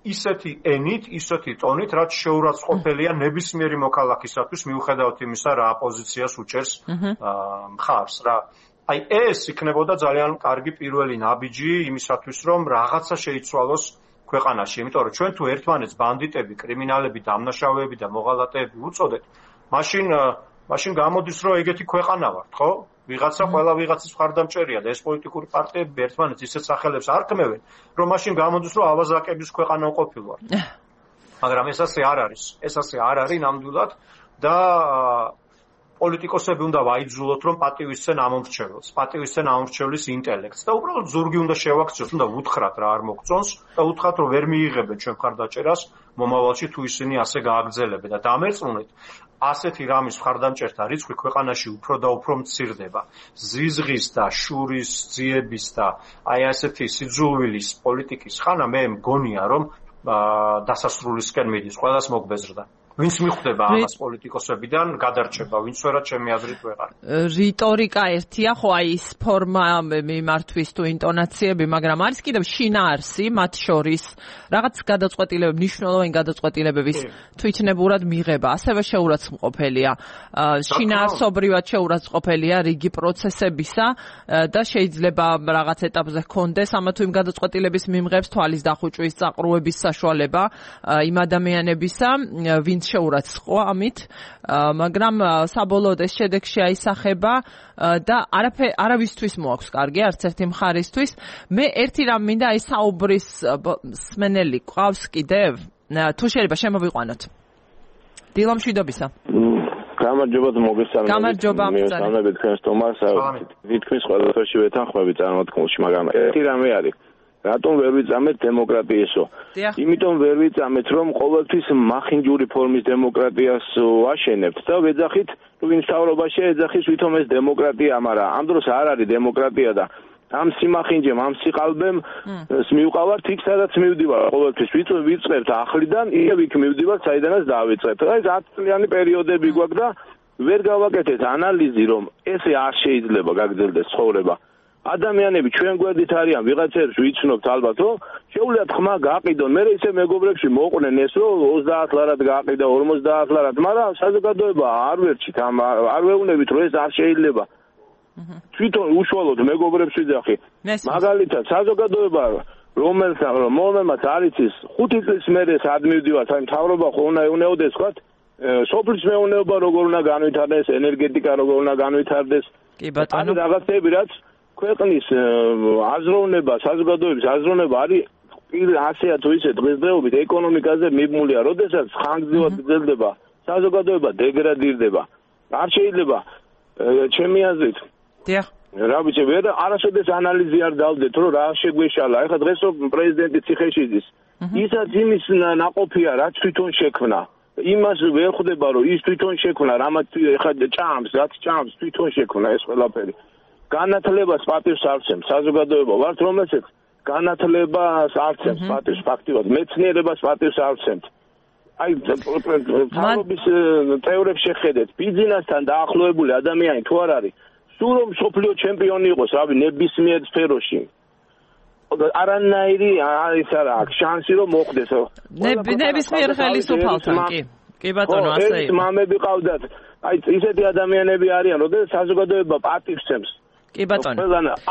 ისეთი ენით, ისეთი ტონით, რაც შეურაცხყოფელია ნებისმიერი მოქალაქისათვის, მიუხედავად იმისა, რა აპოზიციას უჭერს მხარს რა. აი, ეს იქნებოდა ძალიან კარგი პირველი ნაბიჯი იმისათვის, რომ რაღაცა შეიცვალოს ქვეყანაში, იმიტომ რომ ჩვენ თუ ერთმანეთს ბანდიტები, კრიმინალები, დამნაშავეები და მოღალატეები უწოდეთ, მაშინ გამოდის, რომ ეგეთი ქვეყანა ვართ, ხო? ვიღაცა ყველა ვიღაცის მხარდამჭერია და ეს პოლიტიკური პარტიები ერთმანეთს ისეთ სახელებს არქმევენ, რომ მაშინ გამოდის, რომ ავაზაკების ქვეყანა ვყოფილვართ. მაგრამ ეს ასე არ არის. ეს ასე არ არის ნამდვილად და პოლიტიკოსები უნდა ვაიძულოთ, რომ პატივისცენ ამომრჩევლს, პატივისცენ ამომრჩევლის ინტელექტს და უბრალოდ ზურგი უნდა შევაქციოთ, უნდა უთხრათ რა არ მოგწონს და უთხრათ, რომ ვერ მიიღებენ ჩვენ მხარდაჭერას მომავალში თუ ისინი ასე გააგრძელებენ და დამერწმუნეთ, ასეთი რამის მხარდამჭერთა რიცხვი ქვეყანაში უფრო და უფრო მცირდება. ზიზღის და შურის ძიების და აი ასეთი სიძულვილის პოლიტიკის ხანა მე მგონია, რომ დასასრულისკენ მიდის, ყველას მოგბეზრდა. ვინც მიხვდება ამას პოლიტიკოსებიდან, გადარჩება, ვინც ვერა ჩემი აზრით ვეღარ. რიტორიკა ერთია, ხო აი ის ფორმა მიმართვის თუ ინტონაციები, მაგრამ არის კიდევ შინაარსი მათ შორის, რაღაც გადაწყვეტილებები, მნიშვნელოვანი გადაწყვეტილებების თვითნებურად მიღება, ასევე შეურაცხმყოფელია. შინაარსობრივად შეურაცხმყოფელია რიგი პროცესებისა და შეიძლება რაღაც ეტაპზე ჰქონდეს ამა თუ იმ გადაწყვეტილების მიმღებს თვალის დახუჭვის, წაყრუების საშუალება იმ ადამიანებისა, ვინც შეურაცხყოფა ამით, მაგრამ საბოლოოდ ეს შედეგში აისახება და არავისთვის მოაქვს კარგი, არც ერთი მხარისთვის. მე ერთი რამ მინდა აი საუბრის სმენელი ყავს კიდევ, თუ შეიძლება შემოვიყვანოთ. დილა მშვიდობისა. გამარჯობა მოგესალმებით. გამარჯობა. მოგესალმებით თქვენს თომას. თითქმის ყველაფერში ვეთანხმები წარმოთქმულში, მაგრამ ერთი რამე არის. რატომ ვერ ვიწამეთ დემოკრატიასო? იმიტომ ვერ ვიწამეთ, რომ ყოველთვის მახინჯური ფორმის დემოკრატიას ვაშენებთ და ვეძახით, ვინ მთავრობაშია ეძახის ვითომ ეს დემოკრატია, მაგრამ ამ დროს არ არის დემოკრატია და ამ სიმახინჯემ, ამ სიყალბემ მივყავართ იქ, სადაც მივდივარ ყოველთვის. ვიწყებთ ახლიდან, იქ მივდივარ, საიდანაც დავიწყებთ. აი 10 წლიანი პერიოდები გვაქვს და ვერ გავაკეთეთ ანალიზი, რომ ესე არ შეიძლება გაგრძელდეს ცხოვრება. ადამიანები ჩვენ გვერდით არიან, ვიღაცებს ვიცნობთ ალბათ, რომ შეუძლიათ ხმა გააყიდონ. მე ისე მეგობრებში მოყვნენ ეს, რომ 30 ლარად გააყიდა, 50 ლარად, მაგრამ საზოგადოება არ ვერჩით, არ ვეუბნებით, რომ ეს არ შეიძლება. თვითონ უშუალოდ მეგობრებს ვიძახი. მაგალითად, საზოგადოება რომელმაც არის ის 5 წლის მერე სად მივდივართ, აი მთავრობა ხო უნდა ეუნეოდეს, ვთქვათ, სოფლის მეურნეობა როგორ უნდა განვითარდეს, ენერგეტიკა როგორ უნდა განვითარდეს. კი ბატონო. რაღაცები რაც ქვეყნის აზროვნება, საზოგადოების აზროვნება არის ასეა თუ ისე დღესდღეობით ეკონომიკაზე მიბმულია, როდესაც ხანგრძლივად გრძელდება, საზოგადოება დეგრადირდება. არ შეიძლება ჩემი აზრით. დიახ. რა ვიცი, ვერ არასოდეს ანალიზი არ დავდეთ, რომ რა შეგვეშალა. ეხლა დღეს პრეზიდენტი ციხეში ის ისაც იმის ნაყოფია, რაც თვითონ შექმნა. იმას ვერ ხვდება, რომ ის თვითონ შექმნა, რამაც ეხლა ჭამს, რაც ჭამს, თვითონ შექმნა ეს ყველაფერი. განათლებას პატივს არცემს საზოგადოება ვართ, რომელსაც განათლებას არცემს პატივს ფაქტიურად, მეცნიერებას პატივს არცემთ. აი თავობის წევრებს შეხედეთ, ბიზნესთან დაახლოებული ადამიანი თუ არ არის, სულ რომ სოფლიო ჩემპიონი იყოს, რავი, ნებისმიერ სფეროში. არანაირი არის არა აქვს შანსი რომ მოხდეს. ნებისმიერ ხელისუფალთან, კი. კი ბატონო, ასე იყო. მამები ყავდათ. აი ისეთი ადამიანები არიან, როდესაც საზოგადოება პატივს ცემს. კი ბატონო.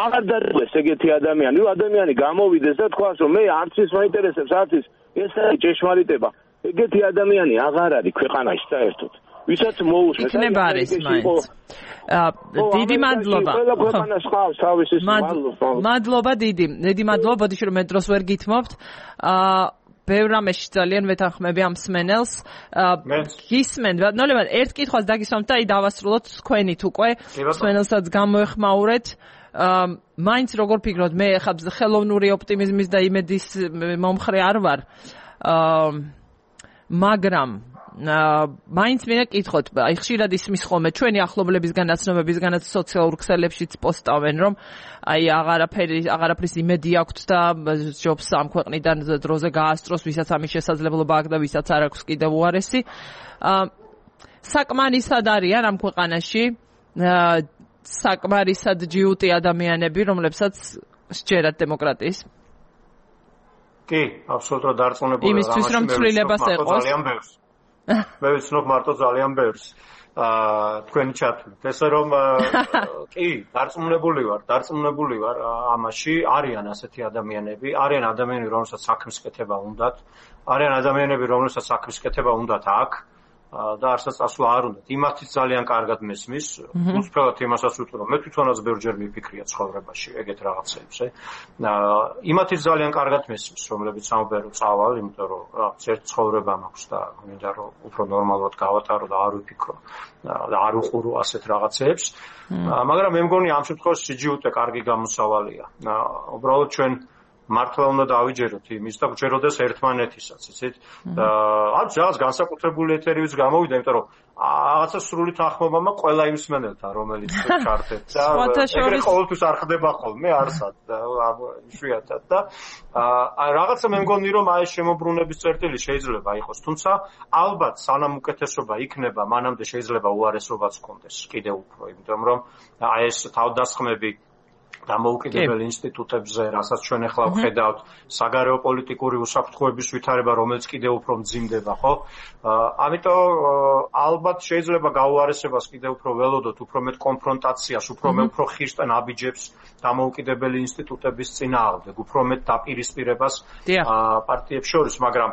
აღარ დადეს ეგეთი ადამიანი, რომ ადამიანი გამოვიდეს და თქვას, რომ მე არც ის მაინტერესებს, არც ის, ეს არის ჭეშმარიტება. ეგეთი ადამიანი აღარ არის ქვეყანაში საერთოდ. ვისაც მოусმენთ. იქნება არის მაინც. დიდი მადლობა. ყველა ქვეყანას ხავს თავისი მადლობა დიდი. დიდი მადლობა, ბოდიში რომ მე დროს ვერ გითმობთ. ბევრ რამეში ძალიან ვეთანხმები ამ მსმენელს. გისმენ, ნოლებად ერთ კითხვას დაგისვამთ და დავასრულოთ თქვენით უკვე. მსმენელსაც გამოეხმაურეთ. მაინც როგორ ფიქრობთ, მე ხა ხელოვნური ოპტიმიზმის და იმედის მომხრე არ ვარ. მაგრამ მაინც მინდა კითხოთ, აი ხშირად ისმის ხოლმე ჩვენი ახლობლებისგან, ნაცნობებისგანაც სოციალურ ქსელებშიც პოსტავენ, რომ აი აღარაფრის იმედი აქვთ და ჯობს ამ ქვეყნიდან დროზე გაასწროს, ვისაც ამის შესაძლებლობა აქვს და ვისაც არ აქვს კიდევ უარესი. საკმარისად არიან ამ ქვეყანაში საკმარისად ჯიუტი ადამიანები, რომლებსაც სჯერათ დემოკრატიის? კი, აბსოლუტურად დარწმუნებული ვარ. იმისთვის რომ ცვლილებას ეყოს. მე ვიცნობ მარტო ძალიან ბევრს. თქვენი ჩათვლით. ესე რომ კი, დარწმუნებული ვარ ამაში. არიან ასეთი ადამიანები, არიან ადამიანები, რომელსაც საქმის კეთება უნდათ, არიან ადამიანები, რომელსაც საქმის კეთება უნდათ აქ. და არსაც წასვლა არ უნდათ. იმათიც ძალიან კარგად მესმის. უცბად იმასაც ვიტყვი, რომ მე თვითონაც ბევრჯერ მიფიქრია ცხოვრებაში ეგეთ რაღაცებს, იმათიც ძალიან კარგად მესმის, რომლებიც ამბობენ რომ წავალ, იმიტომ რომ ერთ ცხოვრება მაქვს და მინდა რომ უფრო ნორმალურად გავატარო და არ ვიფიქრო და არ უყურო ასეთ რაღაცებს. მაგრამ მე მგონი ამ შემთხვევაში სიჯიუტე კარგი გამოსავალია. უბრალოდ ჩვენ მართლა უნდა დავიჯეროთ იმის და გვჯეროდეს ერთმანეთისაც, იცით? არ ჯავს განსაკუთრებული ეთერივიც გამოვიდა, იმიტომ რომ რაღაცა სრული თანხმობა ყველა იმ მსმენელთან, რომელიც ჩართეთ და ეგრე ყოველთვის არ ხდება ხოლმე, არსად და იშვიათად და რაღაცა მე მგონი რომ აი შემოbrunების წერტილი შეიძლება იყოს, თუმცა ალბათ სანამ უკეთესობა იქნება, მანამდე შეიძლება უარესობაც გქონდეს კიდევ უფრო, იმიტომ რომ აი ეს თავდასხმები დამოუკიდებელ ინსტიტუტებზე, რასაც ჩვენ ახლა ვხედავთ, საგარეო პოლიტიკური უსაფრთხოების ვითარება, რომელიც კიდევ უფრო მძიმდება, ხო? ამიტომ ალბათ შეიძლება გაუარესებას კიდევ უფრო ველოდოთ, უფრო მეტ კონფრონტაციას, უფრო ხშირ ნაბიჯებს დამოუკიდებელი ინსტიტუტების წინააღმდეგ, უფრო მეტ დაპირისპირებას პარტიებს შორის, მაგრამ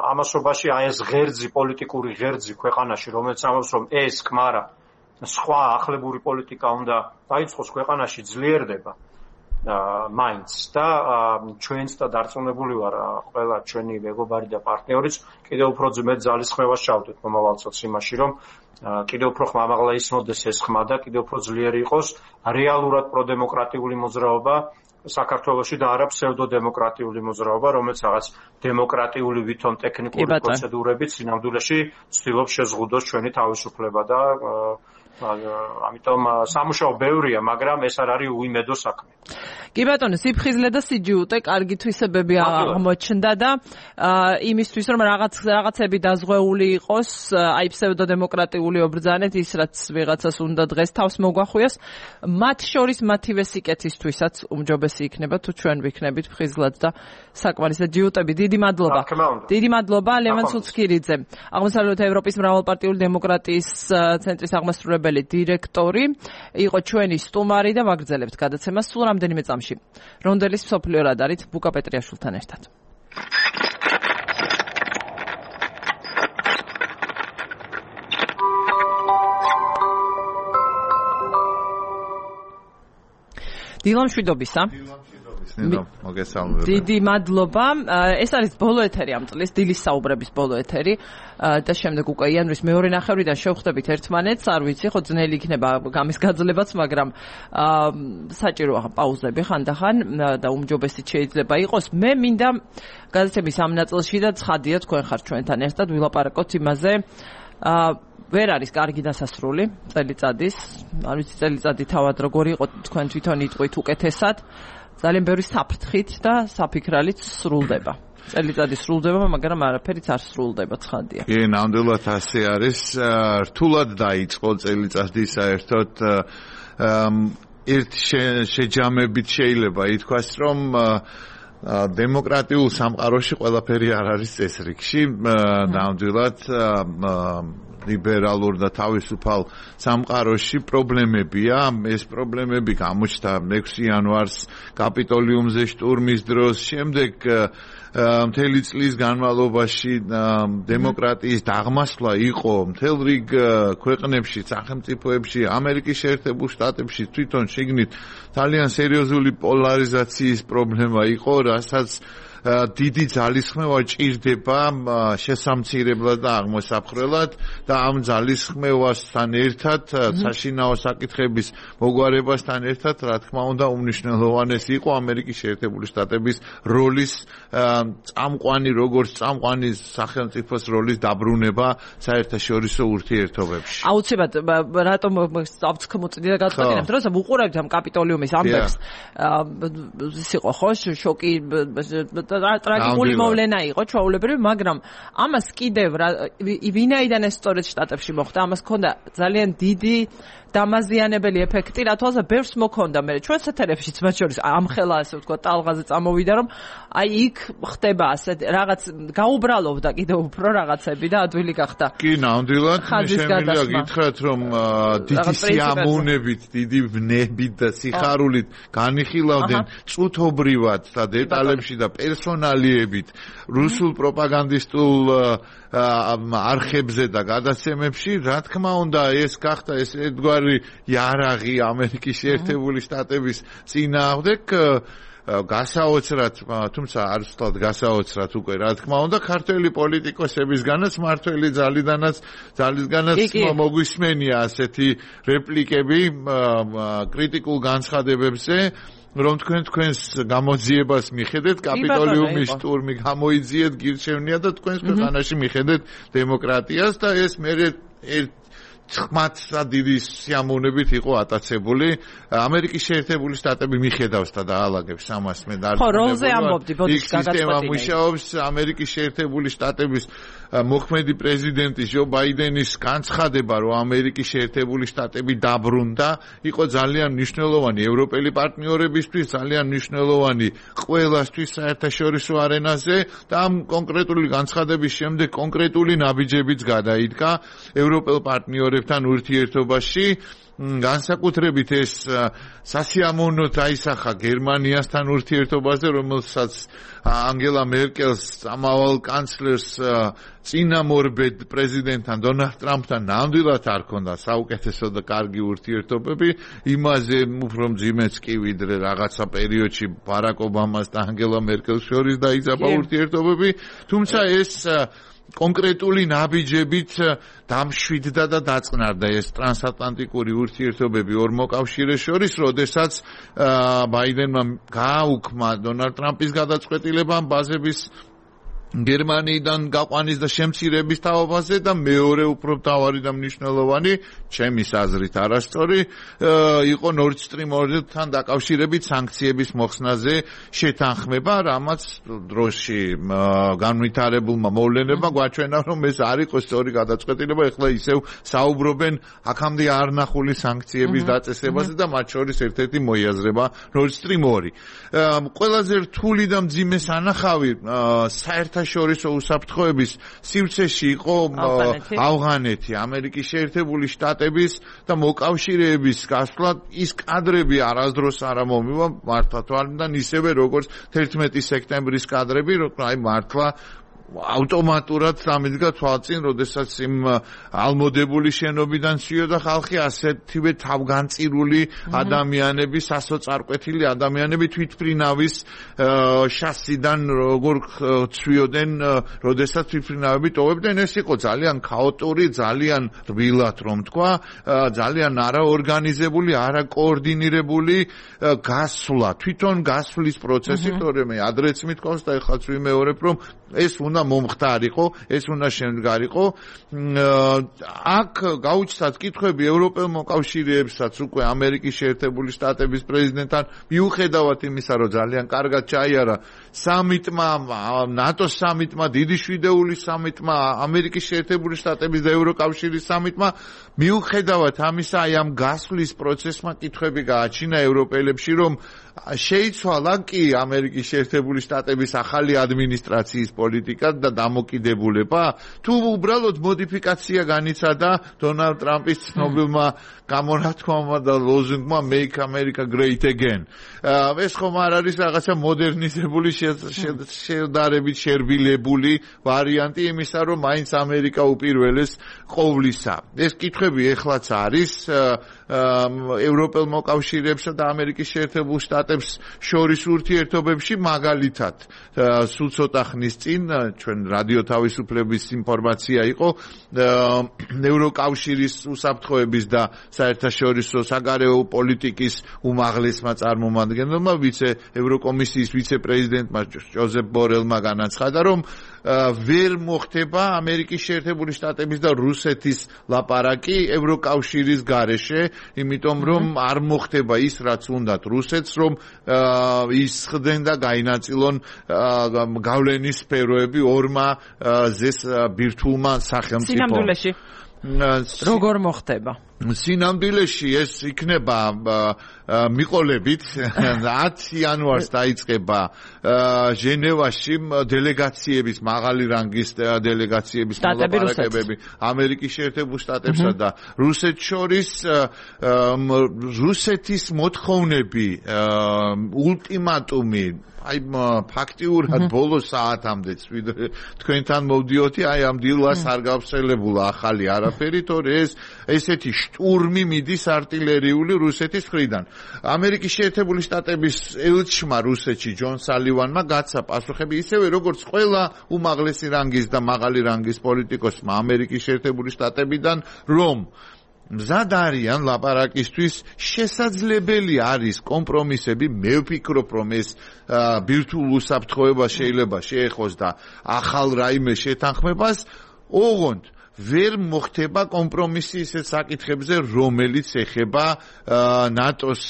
ამასობაში აი ეს ღერძი, პოლიტიკური ღერძი ქვეყანაში, რომელიც ამბობს, რომ ეს ქმარა სხვა ახლებური პოლიტიკა უნდა დაიწყოს ქვეყანაში ძლიერდება მაინც და ჩვენც და დარწმუნებული ვარ ყველა ჩვენი მეგობარი და პარტნიორიც კიდევ უფრო ძმეთ ძალისხმევას ჩავდეთ მომავალწელს იმაში რომ კიდევ უფრო ხმამაღლა ისმოდეს ეს ხმა და კიდევ უფრო ძლიერი იყოს რეალურად პროდემოკრატიული მოძრაობა საქართველოში და არა ფსევდოდემოკრატიული მოძრაობა, რომელიც რაღაც დემოკრატიული ვითომ ტექნიკური პროცედურებით სინამდვილეში ცდილობს შეზღუდოს ჩვენი თავისუფლება და ამიტომ სამუშაო ბევრია, მაგრამ ეს არ არის უიმედო საქმე. კი ბატონო, სიფხიზლე და სიჯიუტე კარგი თვისებები აღმოჩნდა და იმისთვის რომ რაღაცები დაზღვეული იყოს, აი ფსევდოდემოკრატიული ობრძანეთ ის რაც ვიღაცას უნდა დღეს თავს მოგვახვიოს, მათ შორის მათივე სიკეთისთვისაც უმჯობესი იქნება თუ ჩვენ ვიქნებით ფხიზლად და საკმარისად ჯიუტები. დიდი მადლობა. დიდი მადლობა ლევან სუცქირიძე, აღმოსავლეთ ევროპის მრავალპარტიული დემოკრატიის ცენტრის აღმასრულებელი დირექტორი, იყო ჩვენი სტუმარი და ვაგრძელებთ გადაცემას სულ რამდენიმე წამში. რონდელის მსოფლიო რადარით ბუკა პეტრიაშვილთან ერთად. დილა მშვიდობისა. დიდი მადლობა. ეს არის ბოლო ეთერი ამ წლის, დილის საუბრების ბოლო ეთერი და შემდეგ უკვე იანვრის მეორე ნახევრიდან შევხვდებით ერთმანეთს, არ ვიცი, ხო ძნელი იქნება გამის გაძლებაც, მაგრამ საჭიროა პაუზები ხანდახან და უმჯობესიც შეიძლება იყოს. მე მინდა გადაცემის ამ ნაწილში და ცხადია თქვენ ხართ ჩვენთან ერთად ვილაპარაკოთ იმაზე, ვერ არის კარგი დასასრული წელიწადის, არ ვიცი წელიწადი თავად როგორი იყო, თქვენ თვითონ იტყვით უკეთესად. ძალიან ბევრი საფრთხით და საფიქრალით სრულდება. წელიწადი სრულდება, მაგრამ არაფერიც არ სრულდება, ცხადია. კი, ნამდვილად ასე არის. რთულად დაიწყო წელიწადი საერთოდ ერთ შეჯამებით შეიძლება ითქვას, რომ დემოკრატიულ სამყაროში ყველაფერი არ არის წესრიგში, ნამდვილად ლიბერალურ და თავისუფალ სამყაროში პრობლემებია. ეს პრობლემები გამოჩნდა 6 იანვარს კაპიტოლიუმზე შტურმის დროს, შემდეგ მთელი წლის განმავლობაში დემოკრატიის დაღმასვლა იყო მთელ რიგ ქვეყნებში, სახელმწიფოებში, ამერიკის შეერთებულ შტატებში თვითონ შიგნით ძალიან სერიოზული პოლარიზაციის პრობლემა იყო, რასაც დიდი ძალისხმევა ჭირდება შესამცირებლად და აღმოსაფხრელად და ამ ძალისხმევასთან ერთად საშინაო საკითხების მოგვარებასთან ერთად რა თქმა უნდა უმნიშვნელოვანესი იყო ამერიკის შეერთებული შტატების როლის წამყვანი როგორც წამყვანი სახელმწიფოს როლის დაბრუნება საერთაშორისო ურთიერთობებში. აუცილებლად რატომ ავცხმოწდი და გადაწყვეტინებ დროს უყურებთ ამ კაპიტოლიუმის ამბებს ის იყო ხო შოკი ტრაგიკული მოვლენა იყო ჩვეულებრივი მაგრამ ამას კიდევ ვინაიდან ეს სწორედ შტატებში მოხდა ამას ჰქონდა ძალიან დიდი დამაზიანებელი ეფექტი რა თვალსა ბევრს მოქონდა მე ჩვენს ეთერებშიც მათ შორის ამხელა ასე ვთქვა ტალღაზე წამოვიდა რომ აი იქ ხდება ასე რაღაც გაუბრალოვდა კიდევ უფრო რაღაცები და ადვილი გახდა კი ნამდვილად შემიძლია გითხრათ რომ დიდი სიამოვნებით დიდი ვნებით და სიხარულით განიხილავდნენ წუთობრივად და დეტალებში და პერსონალიებით რუსულ პროპაგანდისტულ არხებზე და გადაცემებში რა თქმა უნდა ეს გახდა ეს ერთგვარი იარაღი ამერიკის შეერთებული შტატების წინააღმდეგ გასაოცრად თუმცა არ ვთქვათ გასაოცრად უკვე რა თქმა უნდა ქართველი პოლიტიკოსებისგანაც მართველი ძალისგანაც მოგვისმენია ასეთი რეპლიკები კრიტიკულ განცხადებებზე რომ თქვენს გამოძიებას მიხედეთ კაპიტოლიუმის შტურმი გამოიძიეთ გირჩევნია და თქვენს ქვეყანაში მიხედეთ დემოკრატიას და ეს მე ხმათ დიდი სიამოვნებით იყო ატაცებული ამერიკის შეერთებული შტატები მიხედავს და დაალაგებს ამას მე არ ხო როლზე ამბობდი ბოდიშ გაგაწყვეტინე მუშაობს ამერიკის შეერთებული შტატების მოქმედი პრეზიდენტის ჯო ბაიდენის განცხადება რომ ამერიკის შეერთებული შტატები დაბრუნდა იყო ძალიან მნიშვნელოვანი ევროპელი პარტნიორებისთვის ძალიან მნიშვნელოვანი ყველასთვის საერთაშორისო არენაზე და ამ კონკრეტული განცხადების შემდეგ კონკრეტული ნაბიჯებიც გადაიდგა ევროპელ პარტნიორებთან ურთიერთობაში განსაკუთრებით ეს სასიამოვნოდ აისახა გერმანიასთან ურთიერთობაზე რომელსაც ანგელა მერკელს ამავალ კანცლერს წინამორბედ პრეზიდენტთან დონალდ ტრამპთან ნამდვილად არ ქონდა საუკეთესო და კარგი ურთიერთობები იმაზე უფრო მძიმეც კი ვიდრე რაღაცა პერიოდში ბარაკ ობამას და ანგელა მერკელს შორის დაიძაბა ურთიერთობები თუმცა ეს კონკრეტული ნაბიჯებით დამშვიდდა და დაწყნარდა ეს ტრანსატლანტიკური ურთიერთობები ორ მოკავშირეს შორის, როდესაც ბაიდენმა გააუქმა დონალდ ტრამპის გადაწყვეტილებამ ბაზების გერმანიიდან გაყვანის და შემცირების თავაზე და მეორე უფრო მთავარი და მნიშვნელოვანი, ჩემის აზრით არასწორი, იყო Nord Stream 2-თან დაკავშირებით სანქციების მოხსნაზე შეთანხმება, რამაც დროში განვითარებულმა მოვლენებმა გვაჩვენა, რომ ეს არ იყო სწორი გადაწყვეტილება, ეხლა ისევ საუბრობენ აქამდე არ ნახული სანქციების დაწესებაზე და მათ შორის ერთ-ერთი მოიაზრება Nord Stream 2. ყველაზე რთული და მძიმე სანახავი საერთაშორისო უსაფრთხოების სივრცეში იყო ავღანეთი, ამერიკის შეერთებული შტატების და მოკავშირეების გასვლა ის კადრები არასდროს არ მომივა მართლა თვალიდან ისევე როგორც 11 სექტემბრის კადრები, რომ აი მართლა ავტომატურად დამიდგა თვალწინ, როდესაც იმ ალმოდებული შენობიდან ცვიოდა ხალხი, ასეთივე თავგანწირული ადამიანები, სასოწარკვეთილი ადამიანები თვითმფრინავის შასიდან როგორ ცვიოდნენ, როდესაც თვითმფრინავები ტოვებდნენ, ეს იყო ძალიან ქაოტური, ძალიან რბილად რომ თქვა, ძალიან არაორგანიზებული, არაკოორდინირებული გასვლა, თვითონ გასვლის პროცესი, თორემ ადრეც მithქვავს და ეხლაც ვიმეორებ, რომ ეს უნდა მომხდარიყო, ეს უნდა შემდგარიყო. აქ გაუჩნდათ კითხვები ევროპელ მოკავშირეებსაც უკვე ამერიკის შეერთებული შტატების პრეზიდენტთან მიუხედავად იმისა, რომ ძალიან კარგად ჩაიარა სამიტმა, ნატოს სამიტმა, დიდი შვიდეული სამიტმა, ამერიკის შეერთებული შტატების და ევროკავშირის სამიტმა, მიუხედავად ამისა, აი ამ გასვლის პროცესმა კითხვები გააჩინა ევროპელებში, რომ შეიცვალა კი ამერიკის შეერთებული შტატების ახალი ადმინისტრაციის პოლიტიკა და დამოკიდებულება, თუ უბრალოდ მოდიფიკაცია განიცადა დონალდ ტრამპის ცნობილმა გამონათქვამმა და ლოზუნგმა Make America Great Again. ეს ხომ არ არის რაღაცა მოდერნიზებული შედარებით შერბილებული ვარიანტი იმისა, რომ მაინც ამერიკა უპირველეს ყოვლისა. ეს კითხვები ეხლაც არის ევროპელ მოკავშირეებსა და ამერიკის შეერთებულ შტატებს შორის ურთიერთობებში, მაგალითად, სულ ცოტა ხნის წინ ჩვენ რადიო თავისუფლების ინფორმაცია იყო ევროკავშირის უსაფრთხოების და საერთაშორისო საგარეო პოლიტიკის უმაღლესმა წარმომადგენელმა ევროკომისიის ვიცე-პრეზიდენტმა ჯოზეფ ბორელმა განაცხადა, რომ ვერ მოხდება ამერიკის შეერთებული შტატების და რუსეთის ლაპარაკი ევროკავშირის გარეშე, იმიტომ რომ არ მოხდება ის, რაც უნდათ რუსეთს, რომ ის ხდნენ და გაინაწილონ გავლენის სფეროები ორმა ზეს ბირთვულმა სახელმწიფომ. სინამდვილეში როგორ მოხდება? სინამდვილეში ეს იქნება მიყოლებით 10 იანვარს დაიწყება ჟენევაში დელეგაციების მაღალი რანგის დელეგაციების მოლაპარაკებები ამერიკის შეერთებულ შტატებსა და რუსეთს შორის რუსეთის მოთხოვნები ულტიმატუმი ფაქტიურად ბოლო საათამდე თქვენთან მოვდიოდი ამ დილას არ გავსელებულა ახალი არაფერი თორე ესეთი შტურმი მიდის არტილერიული რუსეთის მხრიდან ამერიკის შეერთებული შტატების ელჩმა რუსეთში ჯონ სალივანმა გაცა პასუხები ისევე როგორც ყველა უმაღლესი რანგის და მაღალი რანგის პოლიტიკოსმა ამერიკის შეერთებული შტატებიდან რომ მზად არიან ლაპარაკისთვის შესაძლებელი არის კომპრომისები მე ვფიქრობ რომ ეს ბირთვულ უსაფრთხოებას შეიძლება შეეხოს და ახალ რაიმე შეთანხმებას ოღონდ ვერ მოხდება კომპრომისი ისეთ საკითხებზე რომელიც ეხება ნატოს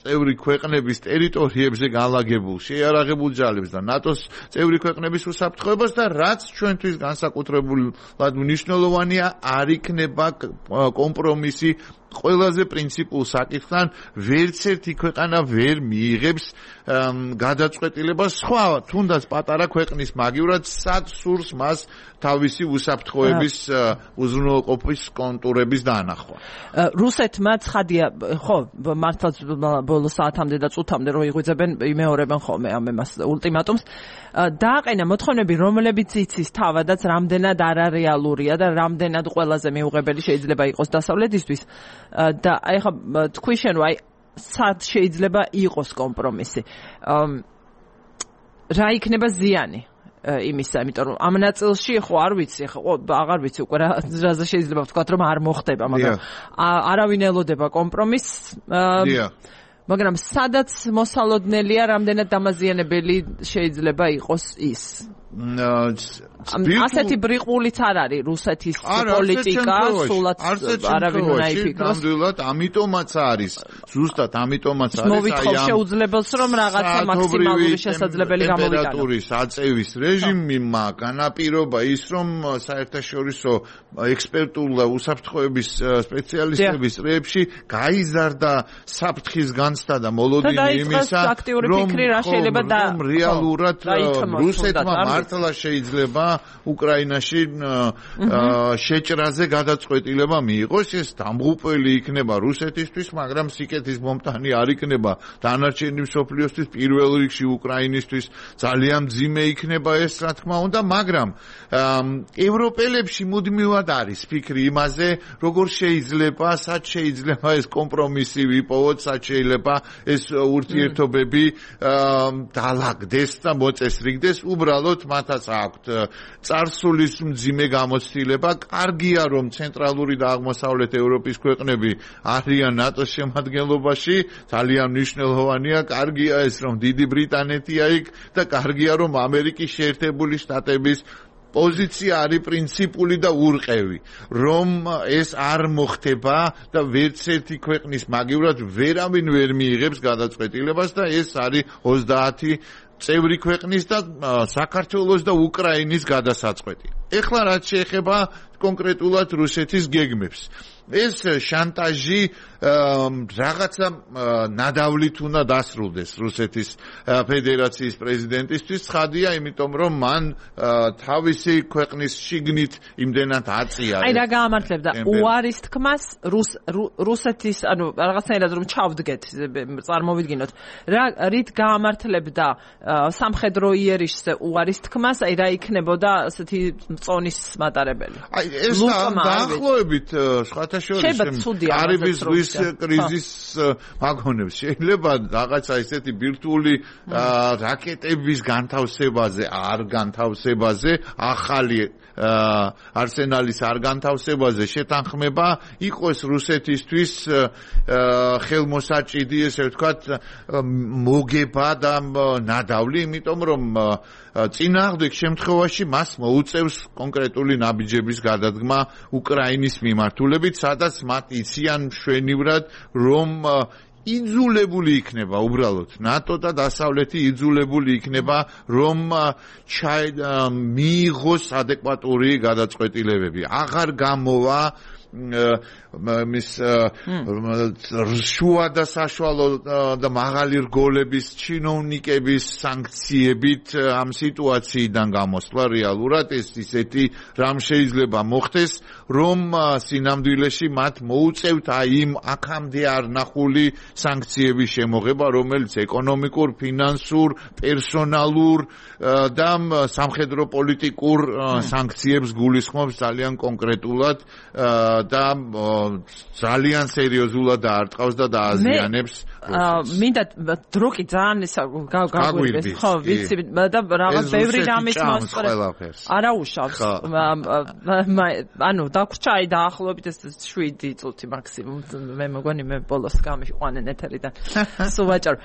წევრი ქვეყნების ტერიტორიებზე განლაგებულ შეიარაღებულ ჯალებს და ნატოს წევრი ქვეყნების უსაფრთხოებას და რაც ჩვენთვის განსაკუთრებულად მნიშვნელოვანია არ იქნება კომპრომისი ყველაზე პრინციპულ საკითხთან ვერც ერთი ქვეყანა ვერ მიიღებს გადაწყვეტილებას სხვა თუნდაც პატარა ქვეყნის მაგივრად სად სურს მას თავისი უსაფრთხოების უზრუნველყოფის კონტურების დაანახვა. რუსეთმა ცხადია ხო მართლაც ბოლო საათამდე და წუთამდე რო იღვიძებენ იმეორებენ ხოლმე ამ εμას ულტიმატუმს დააყენა მოთხოვნები რომლებიც იცის თავადაც რამდენად არარეალურია და რამდენად ყველაზე მიუღებელი შეიძლება იყოს დასავლეთისთვის და აი ხა თქვი შენ რომ აი სად შეიძლება იყოს კომპრომისი რა იქნება ზიანი იმისა იმიტომ რომ ამ ნაწილში ხო არ ვიცი ხო აღარ ვიცი უკვე რაზე შეიძლება ვთქვა რომ არ მოხდება მაგრამ არავინ ელოდება კომპრომისს მაგრამ სადაც მოსალოდნელია რამდენად დამაზიანებელი შეიძლება იყოს ის ასეთი ბრიყულიც არ არის რუსეთის პოლიტიკა სულად არავინ უნდა იფიქროს ნამდვილად ამიტომაც არის ზუსტად ამიტომაც არის მოვითხოვ შეუძლებელს რომ რაღაცა მაქსიმალური შესაძლებელი გამოვიტანო ტემპერატურის აწევის რეჟიმმა განაპირობა ის რომ საერთაშორისო ექსპერტულ და უსაფრთხოების სპეციალისტების წრეებში გაიზარდა საფრთხის განცდა და მოლოდინი იმისა რომ რეალურად რუსეთმა მართლა შეიძლება უკრაინაში შეჭრაზე გადაწყვეტილება მიიღოს ეს დამღუპველი იქნება რუსეთისთვის მაგრამ სიკეთის მომტანი არ იქნება დანარჩენი მსოფლიოსთვის პირველ რიგში უკრაინისთვის ძალიან მძიმე იქნება ეს რა თქმა უნდა მაგრამ ევროპელებში მუდმივად არის ფიქრი იმაზე როგორ შეიძლება სად შეიძლება ეს კომპრომისი ვიპოვოთ სად შეიძლება ეს ურთიერთობები დაალაგდეს და მოწესრიგდეს უბრალოდ მათაც აქვთ წარსულის მძიმე გამოცდილება კარგია რომ ცენტრალური და აღმოსავლეთ ევროპის ქვეყნები არიან ნატოს შემადგენლობაში ძალიან მნიშვნელოვანია კარგია ეს რომ დიდი ბრიტანეთია იქ და კარგია რომ ამერიკის შეერთებული შტატების პოზიცია არის პრინციპული და ურყევი რომ ეს არ მოხდება და ვერც ერთი ქვეყნის მაგივრად ვერავინ ვერ მიიღებს გადაწყვეტილებას და ეს არის 30 წევრი ქვეყნის და საქართველოს და უკრაინის გადასაწყვეტი. ეხლა რაც შეეხება კონკრეტულად რუსეთის გეგმებს. ეს შანტაჟი რაღაცა ნადავლით უნდა დასრულდეს რუსეთის ფედერაციის პრეზიდენტისთვის ცხადია, იმიტომ რომ მან თავისი ქვეყნის შიგნით იმდენად აწია. აი რა გაამართლებდა უარის თქმას რუსეთის ანუ რაღაცნაირად რომ ჩავდგეთ წარმოვიდგინოთ. რით გაამართლებდა სამხედრო იერიშზე უარის თქმას, აი რა იქნებოდა ასეთი წონის მატარებელი. აი ეს დაახლოებით სხვათა შორის კარიბის ზღვის კრიზისს მაგონებს. შეიძლება რაღაცა ისეთი ბირთვული რაკეტების განთავსებაზე, არ განთავსებაზე, ახალი არსენალის არ განთავსებაზე შეთანხმება იყოს რუსეთისთვის ხელმოსაჭიდი, ესე ვთქვათ, მოგება და ნადავლი, იმიტომ რომ წინააღმდეგ შემთხვევაში მას მოუწევს კონკრეტული ნაბიჯების გადადგმა უკრაინის მიმართულებით, სადაც მათ იციან მშვენივრად, რომ იძულებული იქნება უბრალოდ ნატო და დასავლეთი იძულებული იქნება რომ მიიღოს ადეკვატური გადაწყვეტილებები. აღარ გამოვა მის შუა და საშუალო და მაღალი რგოლების ჩინოვნიკების სანქციებით ამ სიტუაციიდან გამოსვლა რეალურად ეს ისეთი რამ შეიძლება მოხდეს რომ სინამდვილეში მათ მოუწევთ აი იმ აქამდე არ ნახული სანქციების შემოღება რომელიც ეკონომიკურ, ფინანსურ, პერსონალურ და სამხედრო პოლიტიკურ სანქციებს გულისხმობს ძალიან კონკრეტულად და ძალიან სერიოზულად დაარტყავს და დააზიანებს. მინდა დრო კი ძალიან ეს გაგვირდეს. ხო, ვიცი და რაღაც ბევრი რამის მოსწრებს. არა უშავს. ანუ დაგვრჩა აი დაახლოებით ეს 7 წუთი მაქსიმუმ. მე მგონი მე ბოლოს გამიყვანენ ეთერიდან. სულ ვაჭარ.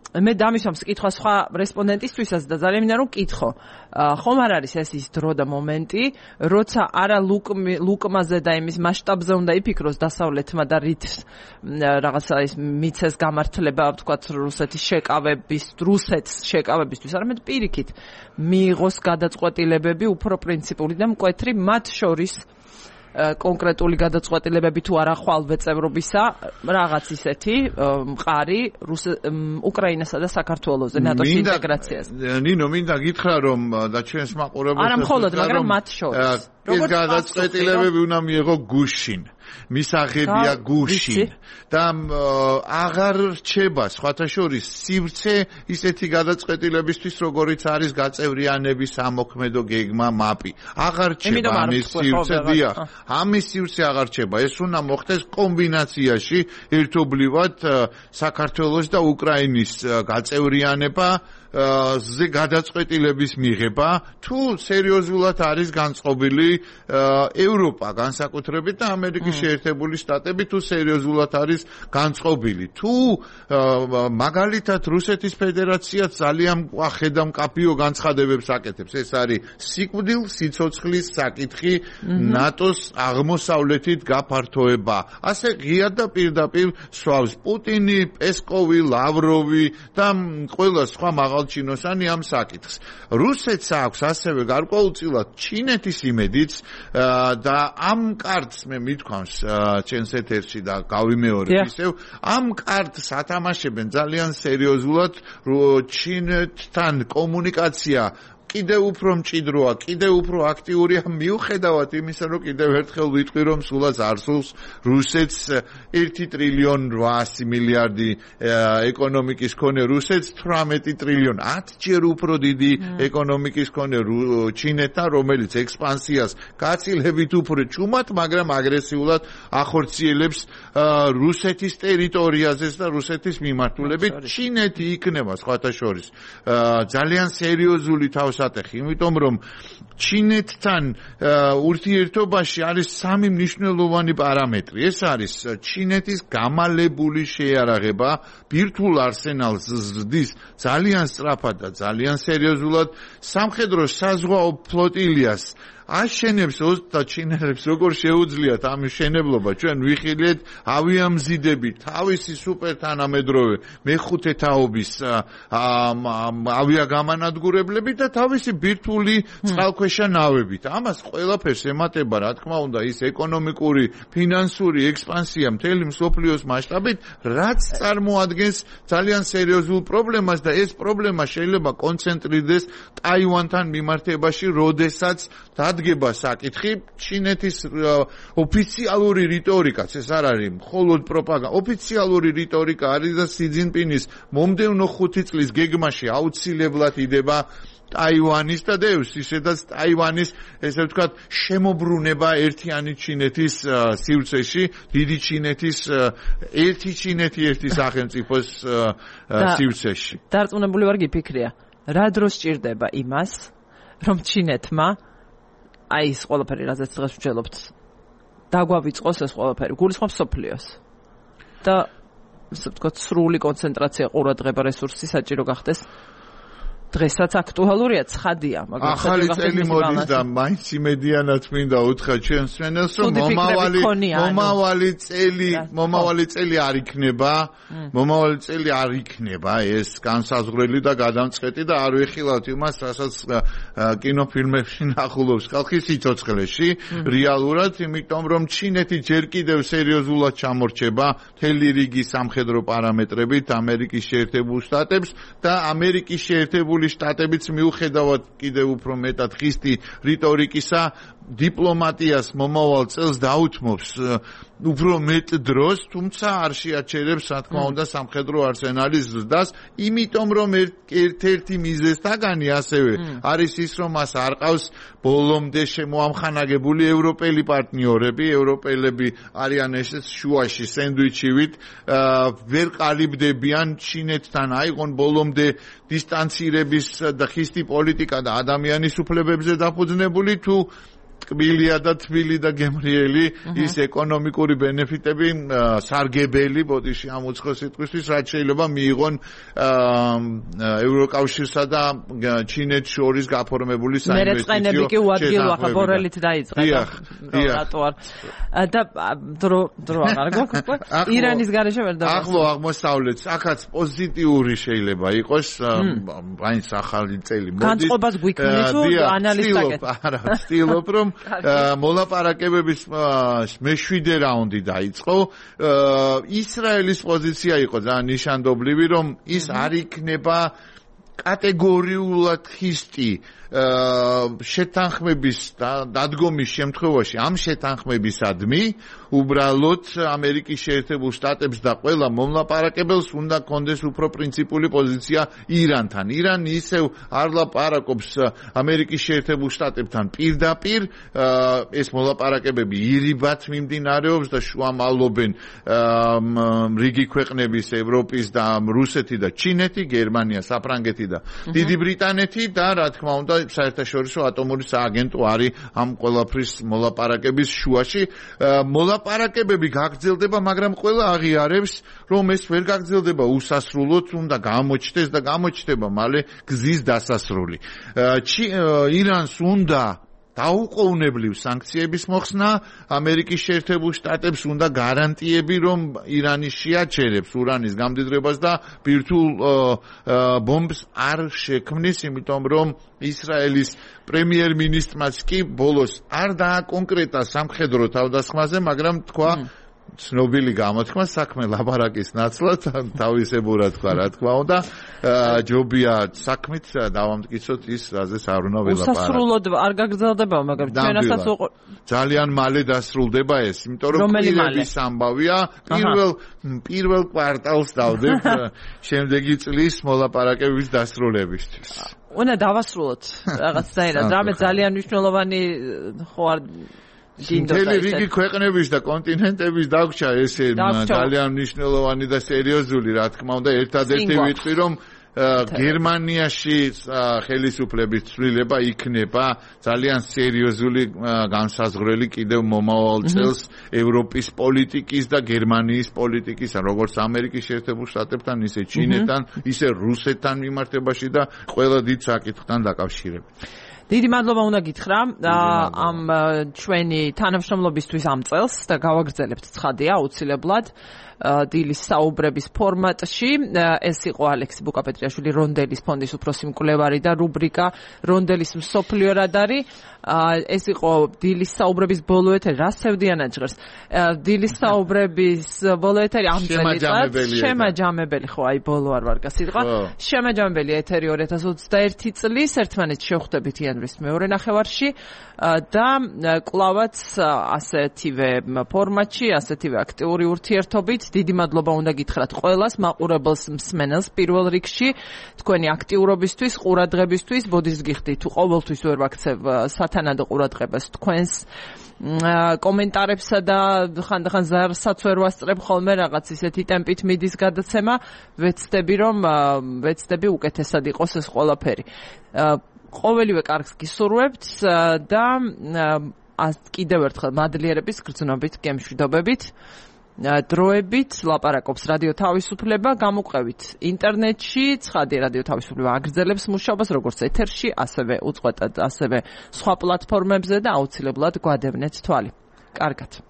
მე დამისვამს კითხვა სხვა რესპონდენტისთვისაც და ძალიან მინდა რომ კითხო. ხომ არ არის ეს ის დრო და მომენტი, როცა არა ლუკმაზე და იმის მასშტაბზე უნდა იფიქროს დასავლეთმა და რით რაღაცა ის მიცეს გამართლება, ვთქვათ, რუსეთის შეკავებისთვის, არამედ პირიქით მიიღოს გადაწყვეტილებები უფრო პრინციპული და მკვეთრი, მათ შორის კონკრეტული გადაწყვეტილებები თუ არა ხვალვე წევრობისა, რაღაც ისეთი მყარი უკრაინასა და საქართველოზე ნატოს ინტეგრაციაზე. ნინო, მინდა გითხრა რომ და ჩვენს მაყურებელს არა მხოლოდ, მაგრამ მათ შორის. ეს გადაწყვეტილებები უნდა მიიღო გუშინ. მისაღებია გუშინ და აღარ რჩება სხვათა შორის სივრცე ისეთი გადაწყვეტილებისთვის როგორიც არის გაწევრიანების სამოქმედო გეგმა მაპი. აღარ რჩება ამის სივრცე, დიახ. ამის სივრცე აღარ რჩება. ეს უნდა მოხდეს კომბინაციაში ერთობლივად საქართველოს და უკრაინის გაწევრიანება ზე გადაწყვეტილების მიღება თუ სერიოზულად არის განწყობილი ევროპა განსაკუთრებით და ამერიკის შეერთებული შტატები თუ სერიოზულად არის განწყობილი თუ მაგალითად რუსეთის ფედერაცია ძალიან ხედამკაფიო განცხადებებს აკეთებს ეს არის სიკვდილ სიცოცხლის საკითხი ნატოს აღმოსავლეთით გაფართოება ასე ღია და პირდაპირ სვავს პუტინი პესკოვი ლავროვი და ყველა სხვა ჩინოსანი ამ საკითხს. რუსეთს აქვს ასევე გარკვეულწილად ჩინეთის იმედიც და ამ კარტს მე მithქვამს ჩემს ეთერში და გავიმეორებ ისევ ამ კარტს ათამაშებენ ძალიან სერიოზულად ჩინეთთან კომუნიკაცია კიდევ უფრო მჭიდროა, კიდევ უფრო აქტიურია მიუხედავად იმისა, რომ კიდევ ერთხელ ვიტყვი, რომ სულაც არსულს რუსეთს 1 ტრილიონ 800 მილიარდი ეკონომიკის მქონე რუსეთს 18 ტრილიონ 10 ჯერ უფრო დიდი ეკონომიკის მქონე ჩინეთთან, რომელიც ექსპანსიას გაცილებით უფრო ჭუმად, მაგრამ აგრესიულად ახორციელებს რუსეთის ტერიტორიაზეც და რუსეთის მიმართულებით ჩინეთი იქნება სხვათა შორის ძალიან სერიოზული თავსატეხი, იმიტომ რომ ჩინეთთან ურთიერთობაში არის სამი მნიშვნელოვანი პარამეტრი. ეს არის ჩინეთის გამალებული შეიარაღება, ბირთვულ არსენალს ზრდის ძალიან სწრაფად და ძალიან სერიოზულად, სამხედრო საზღვაო ფლოტილიას აშენებს და ჩინელებს როგორ შეუძლიათ ამ მშენებლობა ჩვენ ვიხილეთ ავიამზიდები თავისი სუპერთანამედროვე მეხუთე თაობის ავიაგამანადგურებლები და თავისი ბირთვული წყალქვეშა ნავებით ამას ყველაფერს ემატება რა თქმა უნდა ის ეკონომიკური ფინანსური ექსპანსია მთელი მსოფლიოს მასშტაბით რაც წარმოადგენს ძალიან სერიოზულ პრობლემას და ეს პრობლემა შეიძლება კონცენტრირდეს ტაივანთან მიმართებაში როდესაც დგება საკითხი ჩინეთის ოფიციალური რიტორიკაც ეს არ არის მხოლოდ პროპაგანდა ოფიციალური რიტორიკა არის და სი ძინპინის მომდევნო 5 წლის გეგმაში აუცილებლად იდება ტაივანის და დევს ისედაც ტაივანის ესე ვთქვათ შემოbrunება ერთიანი ჩინეთის სივრცეში, დიდი ჩინეთის ერთი ჩინეთი ერთი სახელმწიფოს სივრცეში. დარწმუნებული ვარ გიფიქრია, რა დროს ჭირდება იმას, რომ ჩინეთმა აი ეს ყველაფერი რაზეც დღეს ვჯელობთ დაგვავიწყოს ეს ყველაფერი, გულისხმობს სოფლიოს. და ასე ვთქვათ სრული კონცენტრაცია ყურადღება რესურსი საჭირო გახდეს. დღესაც აქტუალურია, ცხადია, მაგრამ ახალი წელი მოდის და მაინც იმედიანად მინდა უთხრა ჩვენს მენელს, რომ მომავალი წელი არ იქნება ეს განსაზღვრელი და გადამწყვეტი და არ ვეხილავთ იმას, რასაც კინოფილმებში ნახულობს ხალხი სიცოცხლეში, რეალურად, იმიტომ რომ ჩინეთი ჯერ კიდევ სერიოზულად ჩამორჩება მთელი რიგი სამხედრო პარამეტრებით ამერიკის შეერთებულ შტატებს და ამერიკის შეერთებულ შტატებიც მიუხედავად კიდევ უფრო მეტად ხისტი რიტორიკისა დიპლომატიას მომავალ წელს დაუთმობს უფრო მეტ დროს, თუმცა არ შეაჩერებს, რა თქმა უნდა, სამხედრო არსენალის ზრდას, იმიტომ რომ ერთ-ერთი მიზეზთაგანი ასევე არის ის, რომ მას არ ყავს ბოლომდე შემოამხანაგებული ევროპელი პარტნიორები, ევროპელები არიან ესეც შუაში სენდვიჩივით, ვერ ყალიბდებიან ჩინეთთან აიღონ ბოლომდე დისტანცირების და ხისტი პოლიტიკა და ადამიანის უფლებებზე დაფუძნებული თუ კბილია და თბილი და გემრიელი ის ეკონომიკური ბენეფიტები სარგებელი ბოდიში ამ უცხო სიტყვისთვის რაც შეიძლება მიიღონ ევროკავშირსა და ჩინეთს შორის გაფორმებული საინვესტიციო მერეწყენები კი უადგილო ახლა ბორელით დაიწყე რატო არ და დრო აღარ გვაქვს ირანის გარეშე ვერ დავას ახლო აღმოსავლეთს აქაც პოზიტიური შეიძლება იყოს მაინც ახალი წელი მოდის განწყობას გვიქმნის თუ ანალიზაკეთ არა ვცდილობ რომ მოლაპარაკებების მე-7 რაუნდი დაიწყო. ისრაელის პოზიცია იყო ძალიან ნიშანდობლივი, რომ ის არ იქნება კატეგორიულად ხისტი შეთანხმების დადგომის შემთხვევაში ამ შეთანხმებისადმი უბრალოდ ამერიკის შეერთებულ შტატებს და ყველა მომლაპარაკებელს უნდა კონდეს უფრო პრინციპული პოზიცია ირანთან. ირანი ისევ არ ლაპარაკობს ამერიკის შეერთებულ შტატებთან პირდაპირ, ეს მოლაპარაკებები ირიბად მიმდინარეობს და შუამავლობენ რიგი ქვეყნების, ევროპის და რუსეთი და ჩინეთი, გერმანია, საფრანგეთი და დიდი ბრიტანეთი და რა თქმა უნდა საერთაშორისო ატომური სააგენტო არის ამ ყველაფრის მოლაპარაკების შუაში. მოლაპარაკებები გაგრძელდება, მაგრამ ყველა აღიარებს, რომ ეს ვერ გაგრძელდება უსასრულოდ, უნდა გამოჩნდეს და გამოჩნდება მალე გზის დასასრული. ირანს უნდა დაუყოვნებლივ სანქციების მოხსნა, ამერიკის შეერთებულ შტატებს უნდა გარანტიები, რომ ირანი შეაჩერებს ურანის გამდიდრებას და ბირთვულ ბომბს არ შექმნის, იმიტომ რომ ისრაელის პრემიერ-მინისტრმაც კი ბოლოს არ დააკონკრეტა სამხედრო თავდასხმაზე, მაგრამ თქვა ცნობილი გამოთქმა საქმე ლაპარაკის ნაცვლად თავისებურად თქვა რა თქმა უნდა ჯობია საქმით დავამტკიცოთ ის რაზეც არ უნდა ველაპარაკოთ უსასრულოდ არ გაგრძელდება მაგრამ ჩვენასაც ძალიან მალე დასრულდება ეს იმიტომ რომ კილების ამბავია პირველ კვარტალს დავდებ შემდეგი წლის მოლაპარაკების დასრულებისთვის უნდა დავასრულოთ რაღაცნაირად რამე ძალიან მნიშვნელოვანი ხო არ მთელი რიგი ქვეყნების და კონტინენტების დაგვრჩა ესე ძალიან მნიშვნელოვანი და სერიოზული რა თქმა უნდა ერთადერთი ვიტყვი რომ გერმანიაში ხელისუფლების ცვლილება იქნება ძალიან სერიოზული განსაზღვრელი კიდევ მომავალ წელს ევროპის პოლიტიკის და გერმანიის პოლიტიკის როგორც ამერიკის შეერთებულ შტატებთან ისე ჩინეთთან ისე რუსეთთან მიმართებაში და ყველა დიდ საკითხთან დაკავშირებით დიდი მადლობა უნდა გითხრა ამ ჩვენი თანამშრომლობისთვის ამ წელს და გავაგრძელებთ ცხადია აუცილებლად დილის საუბრების ფორმატში ეს იყო ალექსი ბუკაპეტრიაშვილი რონდელის ფონდის უფროსი მკვლევარი და რუბრიკა რონდელის მსოფლიო რადარი ეს იყო დილის საუბრების ბოლო ეთერი რა სევდიანად ჟღერს დილის საუბრების ბოლო ეთერი ამ წელიწადს შემაჯამებელი ხო აი ბოლო არ ვარ გასიტყვა შემაჯამებელი ეთერი 2021 წლის ერთმანეთს შევხვდებით იან იანვრის მეორე ნახევარში და კლავაც ასეთივე ფორმატში, ასეთივე აქტიური ურთიერთობით. დიდი მადლობა უნდა გითხრათ ყველას მაყურებელს მსმენელს პირველ რიგში თქვენი აქტიურობისთვის, ყურადღებისთვის. ბოდის გიხდით, თუ ყოველთვის ვერ ვაქცევ სათანადო ყურადღებას თქვენს კომენტარებსა და ხანდახან ზარსაც ვერ ვასწრებ ხოლმე რაღაც ისეთი ტემპით მიდის გადაცემა. ვეცდები უკეთესად იყოს ეს ყველაფერი. ყოველივე კარგს გისურვებთ და კიდევ ერთხელ მადლიერების გრძნობით, გემშვიდობებით. დროებით ლაპარაკობს რადიო თავისუფლება, გამოყევით ინტერნეტში, ცხადი რადიო თავისუფლება აგრძელებს მუშაობას როგორც ეთერში, ასევე უწყვეტად, ასევე სხვა პლატფორმებზე და აუცილებლად გვადევნეთ თვალი. კარგად.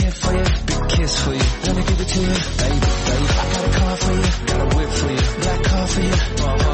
kiss for you, big kiss for you. Let me give it to you, baby, baby. I got a car for for you, black car for you.